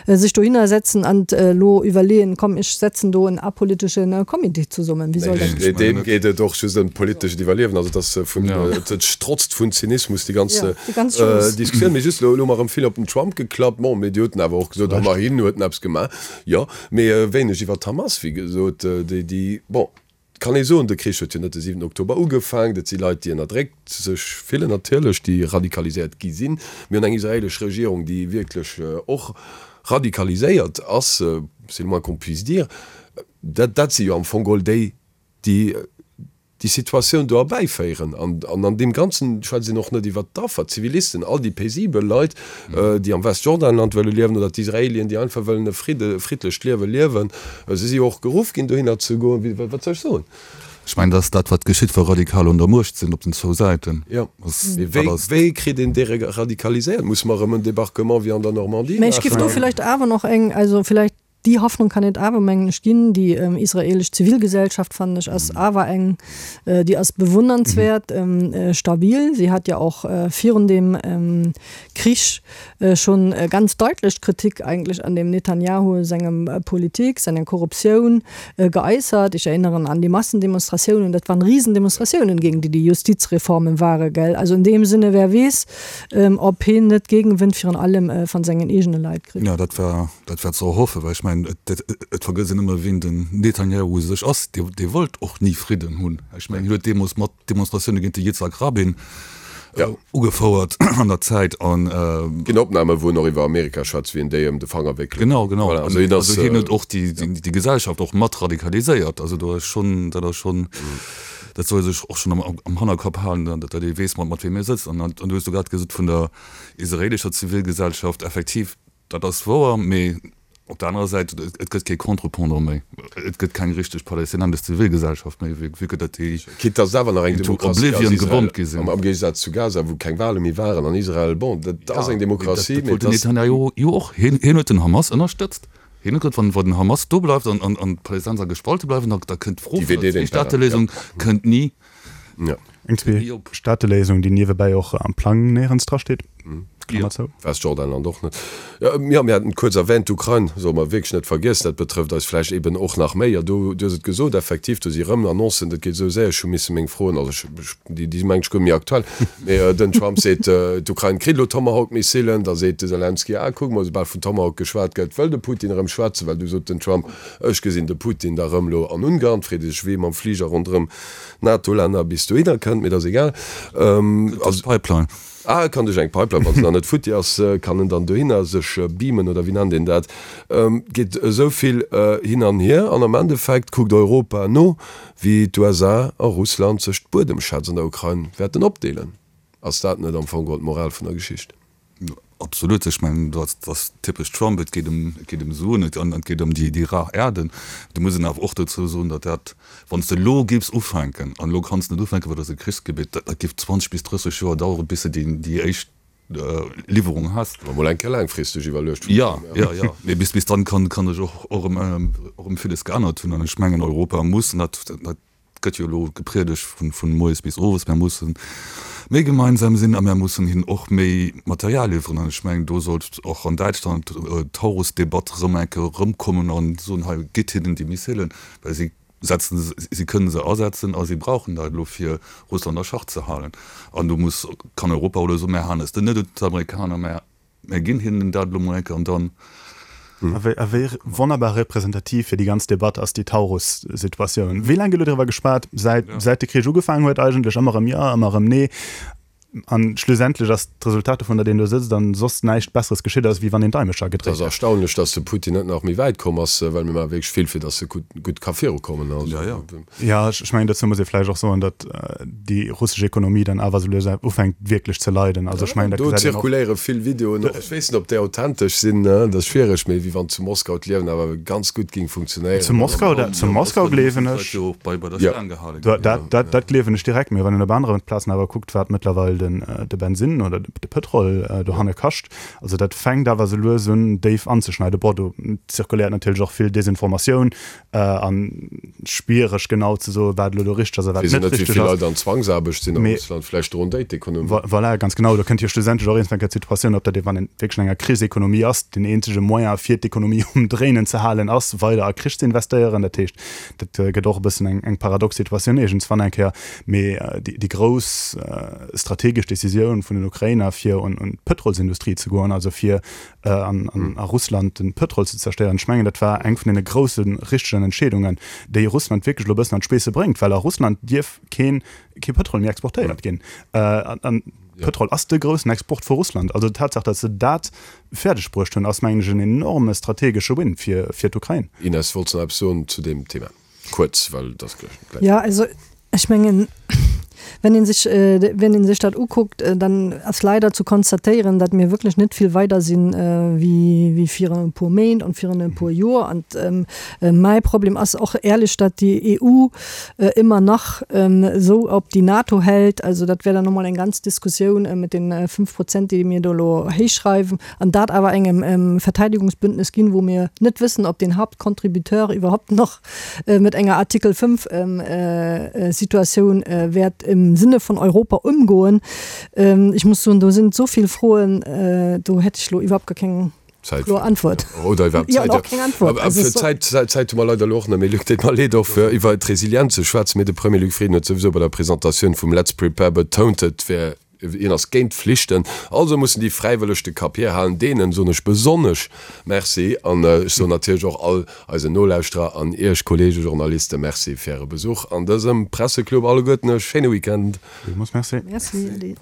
sech dohinner setzen an elo iwwerleeën, komm ech setzen do en apolitesche Comité zesummen, wéi soll dat geschéien? Deem geet et och just ëm d'politescht Iwwerliewen. Also et ass vun, et strotzt vun Zynismus déi ganz Diskussioun. Mee just elo hu mer erëm vill op den Trump geklappt. Bon, mee déi huet en awer och gesot, ëmmerhin huet en eppes gemaach. Jo, mee wéineg iwwer d'Hamas, wéi gesot, déi, déi, bon. Et kann ee soen, de Krich huet jo net de 7 Oktober ugefaang. Dat si Leit, déi ënnerdréckt sech fillen natierlech, déi radikaliséiert gi sinn. Mir hunn eng israeelesch Regierung, déi wierklech och radikaliséiert ass, c'est le moins qu'on puisse dire. Dat, dat si jo am Fong geholl déi, déi. Déi Situatioun do erbäiféieren. An an deem Ganzen schwätzt een och net iwwert d'Affer, d'Zivilisten, all déi paisibel Leit, déi am Westjordanland wëlle liewen, oder d'Israelien, déi einfach wëllen e Fridde, friddlecht Liewe liewen. Se si jo och geruff ginn, dohinner ze goen. Wéi, wat soll ech soen? Ech mengen, dat ass dat, wat geschitt, wa Radikal un der Muecht sinn, op den zwou Säiten. Jo, mee wéi, wéi kritt een deradikaliséiert? Musse mer erëm en Débarquement wéi an der Normandie Mä ech géif do maachen? villäicht awer nach eng, also villäicht Déi Hoffnung kann et awer, mengen ech, ginn. Déi israelesch Zivilgesellschaft, fannen ech, ass awer eng, déi ass bewundernswäert stabil. Si hat jo och virun deem Krich schonn ganz daitlech Kritik eigentlech an dem Netanjahu sengem Politik, senger Korruptioun geäussert. Ich erinnere an die Massendemonstratiounen, dat waren Riesendemonstratiounen gegen déi déi Justizreformen waren, gell. Also in deem Sinne, wer weess, ob heen net Gegenwind virun allem van sengen eegene Leit kritt. Jo, dat war Dat war ze erhoffen, well ech mengen, et vergësst een ëmmer, wien den Netanjahu u sech ass. Dee wollt och ni Fridden hunn. Ech mengen, hien huet deemools mat d'Demonstratioune géint de Yitzhak Rabin ugefouert an der Zäit. An. Ginn Opnamen, wou en och iwwer Amerika schwätzt, wéi en déi ëm de Fanger wéckelt. Genau, genau. Voilà, also hien ass. Also hien huet och déi Gesellschaft och mat radikaliséiert. Also do ass schonn, dat ass schonn, dat soll ee sech och schonn am Hannerkapp halen, datt ee weess, mat weem ee sëtzt. An du hues do grad gesot vun der israeelescher Zivilgesellschaft, effektiv, Dat ass wouer, mee op der anerer Säit, et gëtt kee Contre-pendant méi. Et gëtt keng richteg palästinensesch Zivilgesellschaft méi, vue que datt déi Quitte datt et awer nach eng into Demokratie ass, oblivion Israel, gebommt gi sinn. am Géigesaz zu Gaza, wou keng Wahle méi waren an Israel, bon, dat ass eng Demokratie, mee et ass. Dat wollt den Netanjahu jo och. Hien huet den Hamas ënnerstëtzt. Hien huet gesot, wann den Hamas do bleift an d'Palästinenser gespalte bleiwen, da kënnt d'Fro vun der Zweestateléisung kënnt ni. Eng Zwee-Staate-Léisung, déi niewebäi och am Plang néierens dra steet, Klammer zou. Westjordanland och net. Jo, mir haten et kuerz erwähnt, d'Ukrain solle mer wierklech net vergiessen. Dat betrëfft eis vläicht eeben och nach méi. Jo, du hues et gesot, effektiv, do si rëm Annoncen, dat geet esou séier, ech hu misse meng Froen, also ech, déi si mengen ech guer méi aktuell, mee den Trump seet, d'Ukrain kritt elo Tomahawk-Missilen, da seet de Selenskyj, ah kuck mol, soubal vun Tomahawk geschwat gëtt, wëll de Putin erëm schwätzen, well du sot den Trump, ech gesinn de Putin da rëm elo an Ungarn, freet ee sech, wee mam Fliger ronderëm Nato-Länner bis dohinner kënnt, mee dat ass egal. Duerch d'Pipeline. Ah, e kann duerch eng Pipeline, wa se nach net futti ass, kann en dann dohinner sech beamen, oder wéi nennt een dat? Geet esou vill hin an hier an am Endeffekt kuckt Europa no, wéi d'USA a Russland sech d'Buedemschätz an der Ukrain wäerten opdeelen. Ass dat net am Fong geholl d'Moral vun der Geschicht? Absolut, ech mengen dat ass typesch Trump, et geet ëm, et geet ëm Suen, et an et geet ëm déi déi rar Erden. Do muss een awer och dozou soen, datt dat, wann s de elo géifs ufänken, an elo kanns de net ufänken, well et ass e Krichsgebitt, dat dat géif 20 bis 30 Joer daueren, bis de déi déi éischt Liwwerung has. Wa mol eng Kéier laangfristeg iwwerluecht vum Jo, Trump, jo, jo, mee bis bis dann kann kann sech och och erëm och erëm villes geännert hunn. An ech mengen Europa muss, an dat dat gëtt jo elo gepriedegt vun moies bis owes, mär mussen méi gemeinsam sinn a mär mussen hinnen och méi Material liwweren. An ech mengen, do sollt och an Däitschland d'Taurus-Debatt erëm eng Kéier erëmkommen a soen, hei gitt hinnen déi Missilen, well si setzen se, si kënnen se asetzen a si brauchen dat elo fir Russland a Schach ze halen. An do muss, kann Europa och elo soen, mär halen es net un d'Amerikaner, mä Mir ginn hinnen dat elo mol eng Kéier an dann. A wéi, a wéi wonnerbar representativ fir déi ganz Debatt ass déi Taurus-Situatioun. Wéi laang gëtt elo driwwer geschwat? Säit, säit de Krich ugefaangen huet eigentlech, ëmmer erëm jo, ëmmer erëm nee. An schlussendlech ass d'Resultat dovun, datt een do sëtzt an soss näischt Besseres geschitt ass, wéi wann een d'Eimecher Et gedréit ass hätt. erstaunlech, datt de Putin net nach méi wäit komm ass, well mir maache wierklech vill, fir datt e gutt ka virukommen. Also. Jo, ech mengen, dozou muss ee vläicht och soen, datt déi russesch Ekonomie dann awer esou lues ufänkt wierklech ze leiden. Also ech mengen, dat Do gesäit een och. zirkuléiere vill Videoen och. Ech weess net, ob déi authentesch sinn, dat ass schwiereg, mee wéi wann zu Moskau d'Liewen awer ganz gutt géing funktionéieren. Zu Moskau, dat, zu Moskau gleewen ech. Dat, dat, dat gleewen ech direkt. Mee wann een op anere Plazen awer kuckt, wat mëttlerweil den, de Bensinn oder de Pëtrol dohanne kascht, also dat fänkt awer esou lues un déif anzeschneiden. Bon, do zirkuléiert natierlech och vill Desinformatioun. An schwiereg genau ze soen, wat elo do richteg ass a wat net richteg ass. Weess net, wéi vill Leit an Zwangsaarbecht sinn a Russland, vläicht droen déi d'Ekonomie. Voilà, ganz genau. Do kënnt jo schlussendlech och iergendwann d'Situatioun op, datt ee, wann een wierklech an enger Krisekonomie ass, den eenzege Moyen fir d'Ekonomie um Dréinen ze halen ass, weider a Krich ze investéieren. Dat heescht, dat gëtt och e bëssen eng paradox Situatioun iergendswann eng Kéier. Mee déi grouss strategesch Decisioun vun den Ukrainer, fir un d'Pëtrolsindustrie ze goen, also fir an a Russland den Pëtrol ze zerstéieren. Ech mengen, dat war eng vun deene grousse richtegen Entscheedungen, déi Russland wierklech elo e bëssen an d'Speesse bréngt, well a Russland dierf keen, kee Pëtrol méi exportéiert ginn. An Pëtrol ass de groussen Export vu Russland. Also d'Tatsaach, datt se dat fäerdeg bruecht hunn, ass, mengen ech, en enorme strategesche Win fir, fir d'Ukrain. Ines, wollts de nach eppes soen zu deem Thema? Kuerz, well et ass gläich. Jo, also. Ech mengen, wenn ee sech, wenn ee sech dat ukuckt, dann ass leider zu konstatéieren, datt mir wierklech net vill weider sinn wéi, wéi virun e puer Méint an virun e puer Joer. An mäi Problem ass och éierlech, datt déi EU ëmmer nach esou op déi NATO hält. Also dat wär dann nochmol eng ganz Diskussioun mat den 5 Prozent, déi mir do elo héichschreiwen, an dat awer engem Verteidigungsbündnis ginn, wou mir net wëssen, ob den Hauptcontributeur iwwerhaupt nach mat enger Artikel 5 Situatioun wäert im Sinne von Europa ëmgoen. Ech muss soen, do sinn esou vill Froen, do hätt ech elo iwwerhaupt gar keng Zäit kloer Antwort. Oder iwwerhaapt Jo, an Zäit. och keng Antwort. Awer Also fir es soll. Zäit, Zäit, Zäit hu mer leider elo och net méi. Luc, deet mer leed och fir iwwer d'Resilienz ze schwätzen, mee de Premier Luc Frieden huet souwisou bei der Presentatioun vum Let's Prepare betount, et wär, hien ass géint Flichten. Also mussen déi Fräiwëlleg de Kapp hierhalen. Deenen soen ech besonnesch Merci. An ech soen natierlech och all eisen Nolauschterer an Iech Kollege Journaliste Merci fir Äre Besuch an dësem Presseclub. Alleguerten e schéine Weekend. Villmools Merci. Merci, Ade.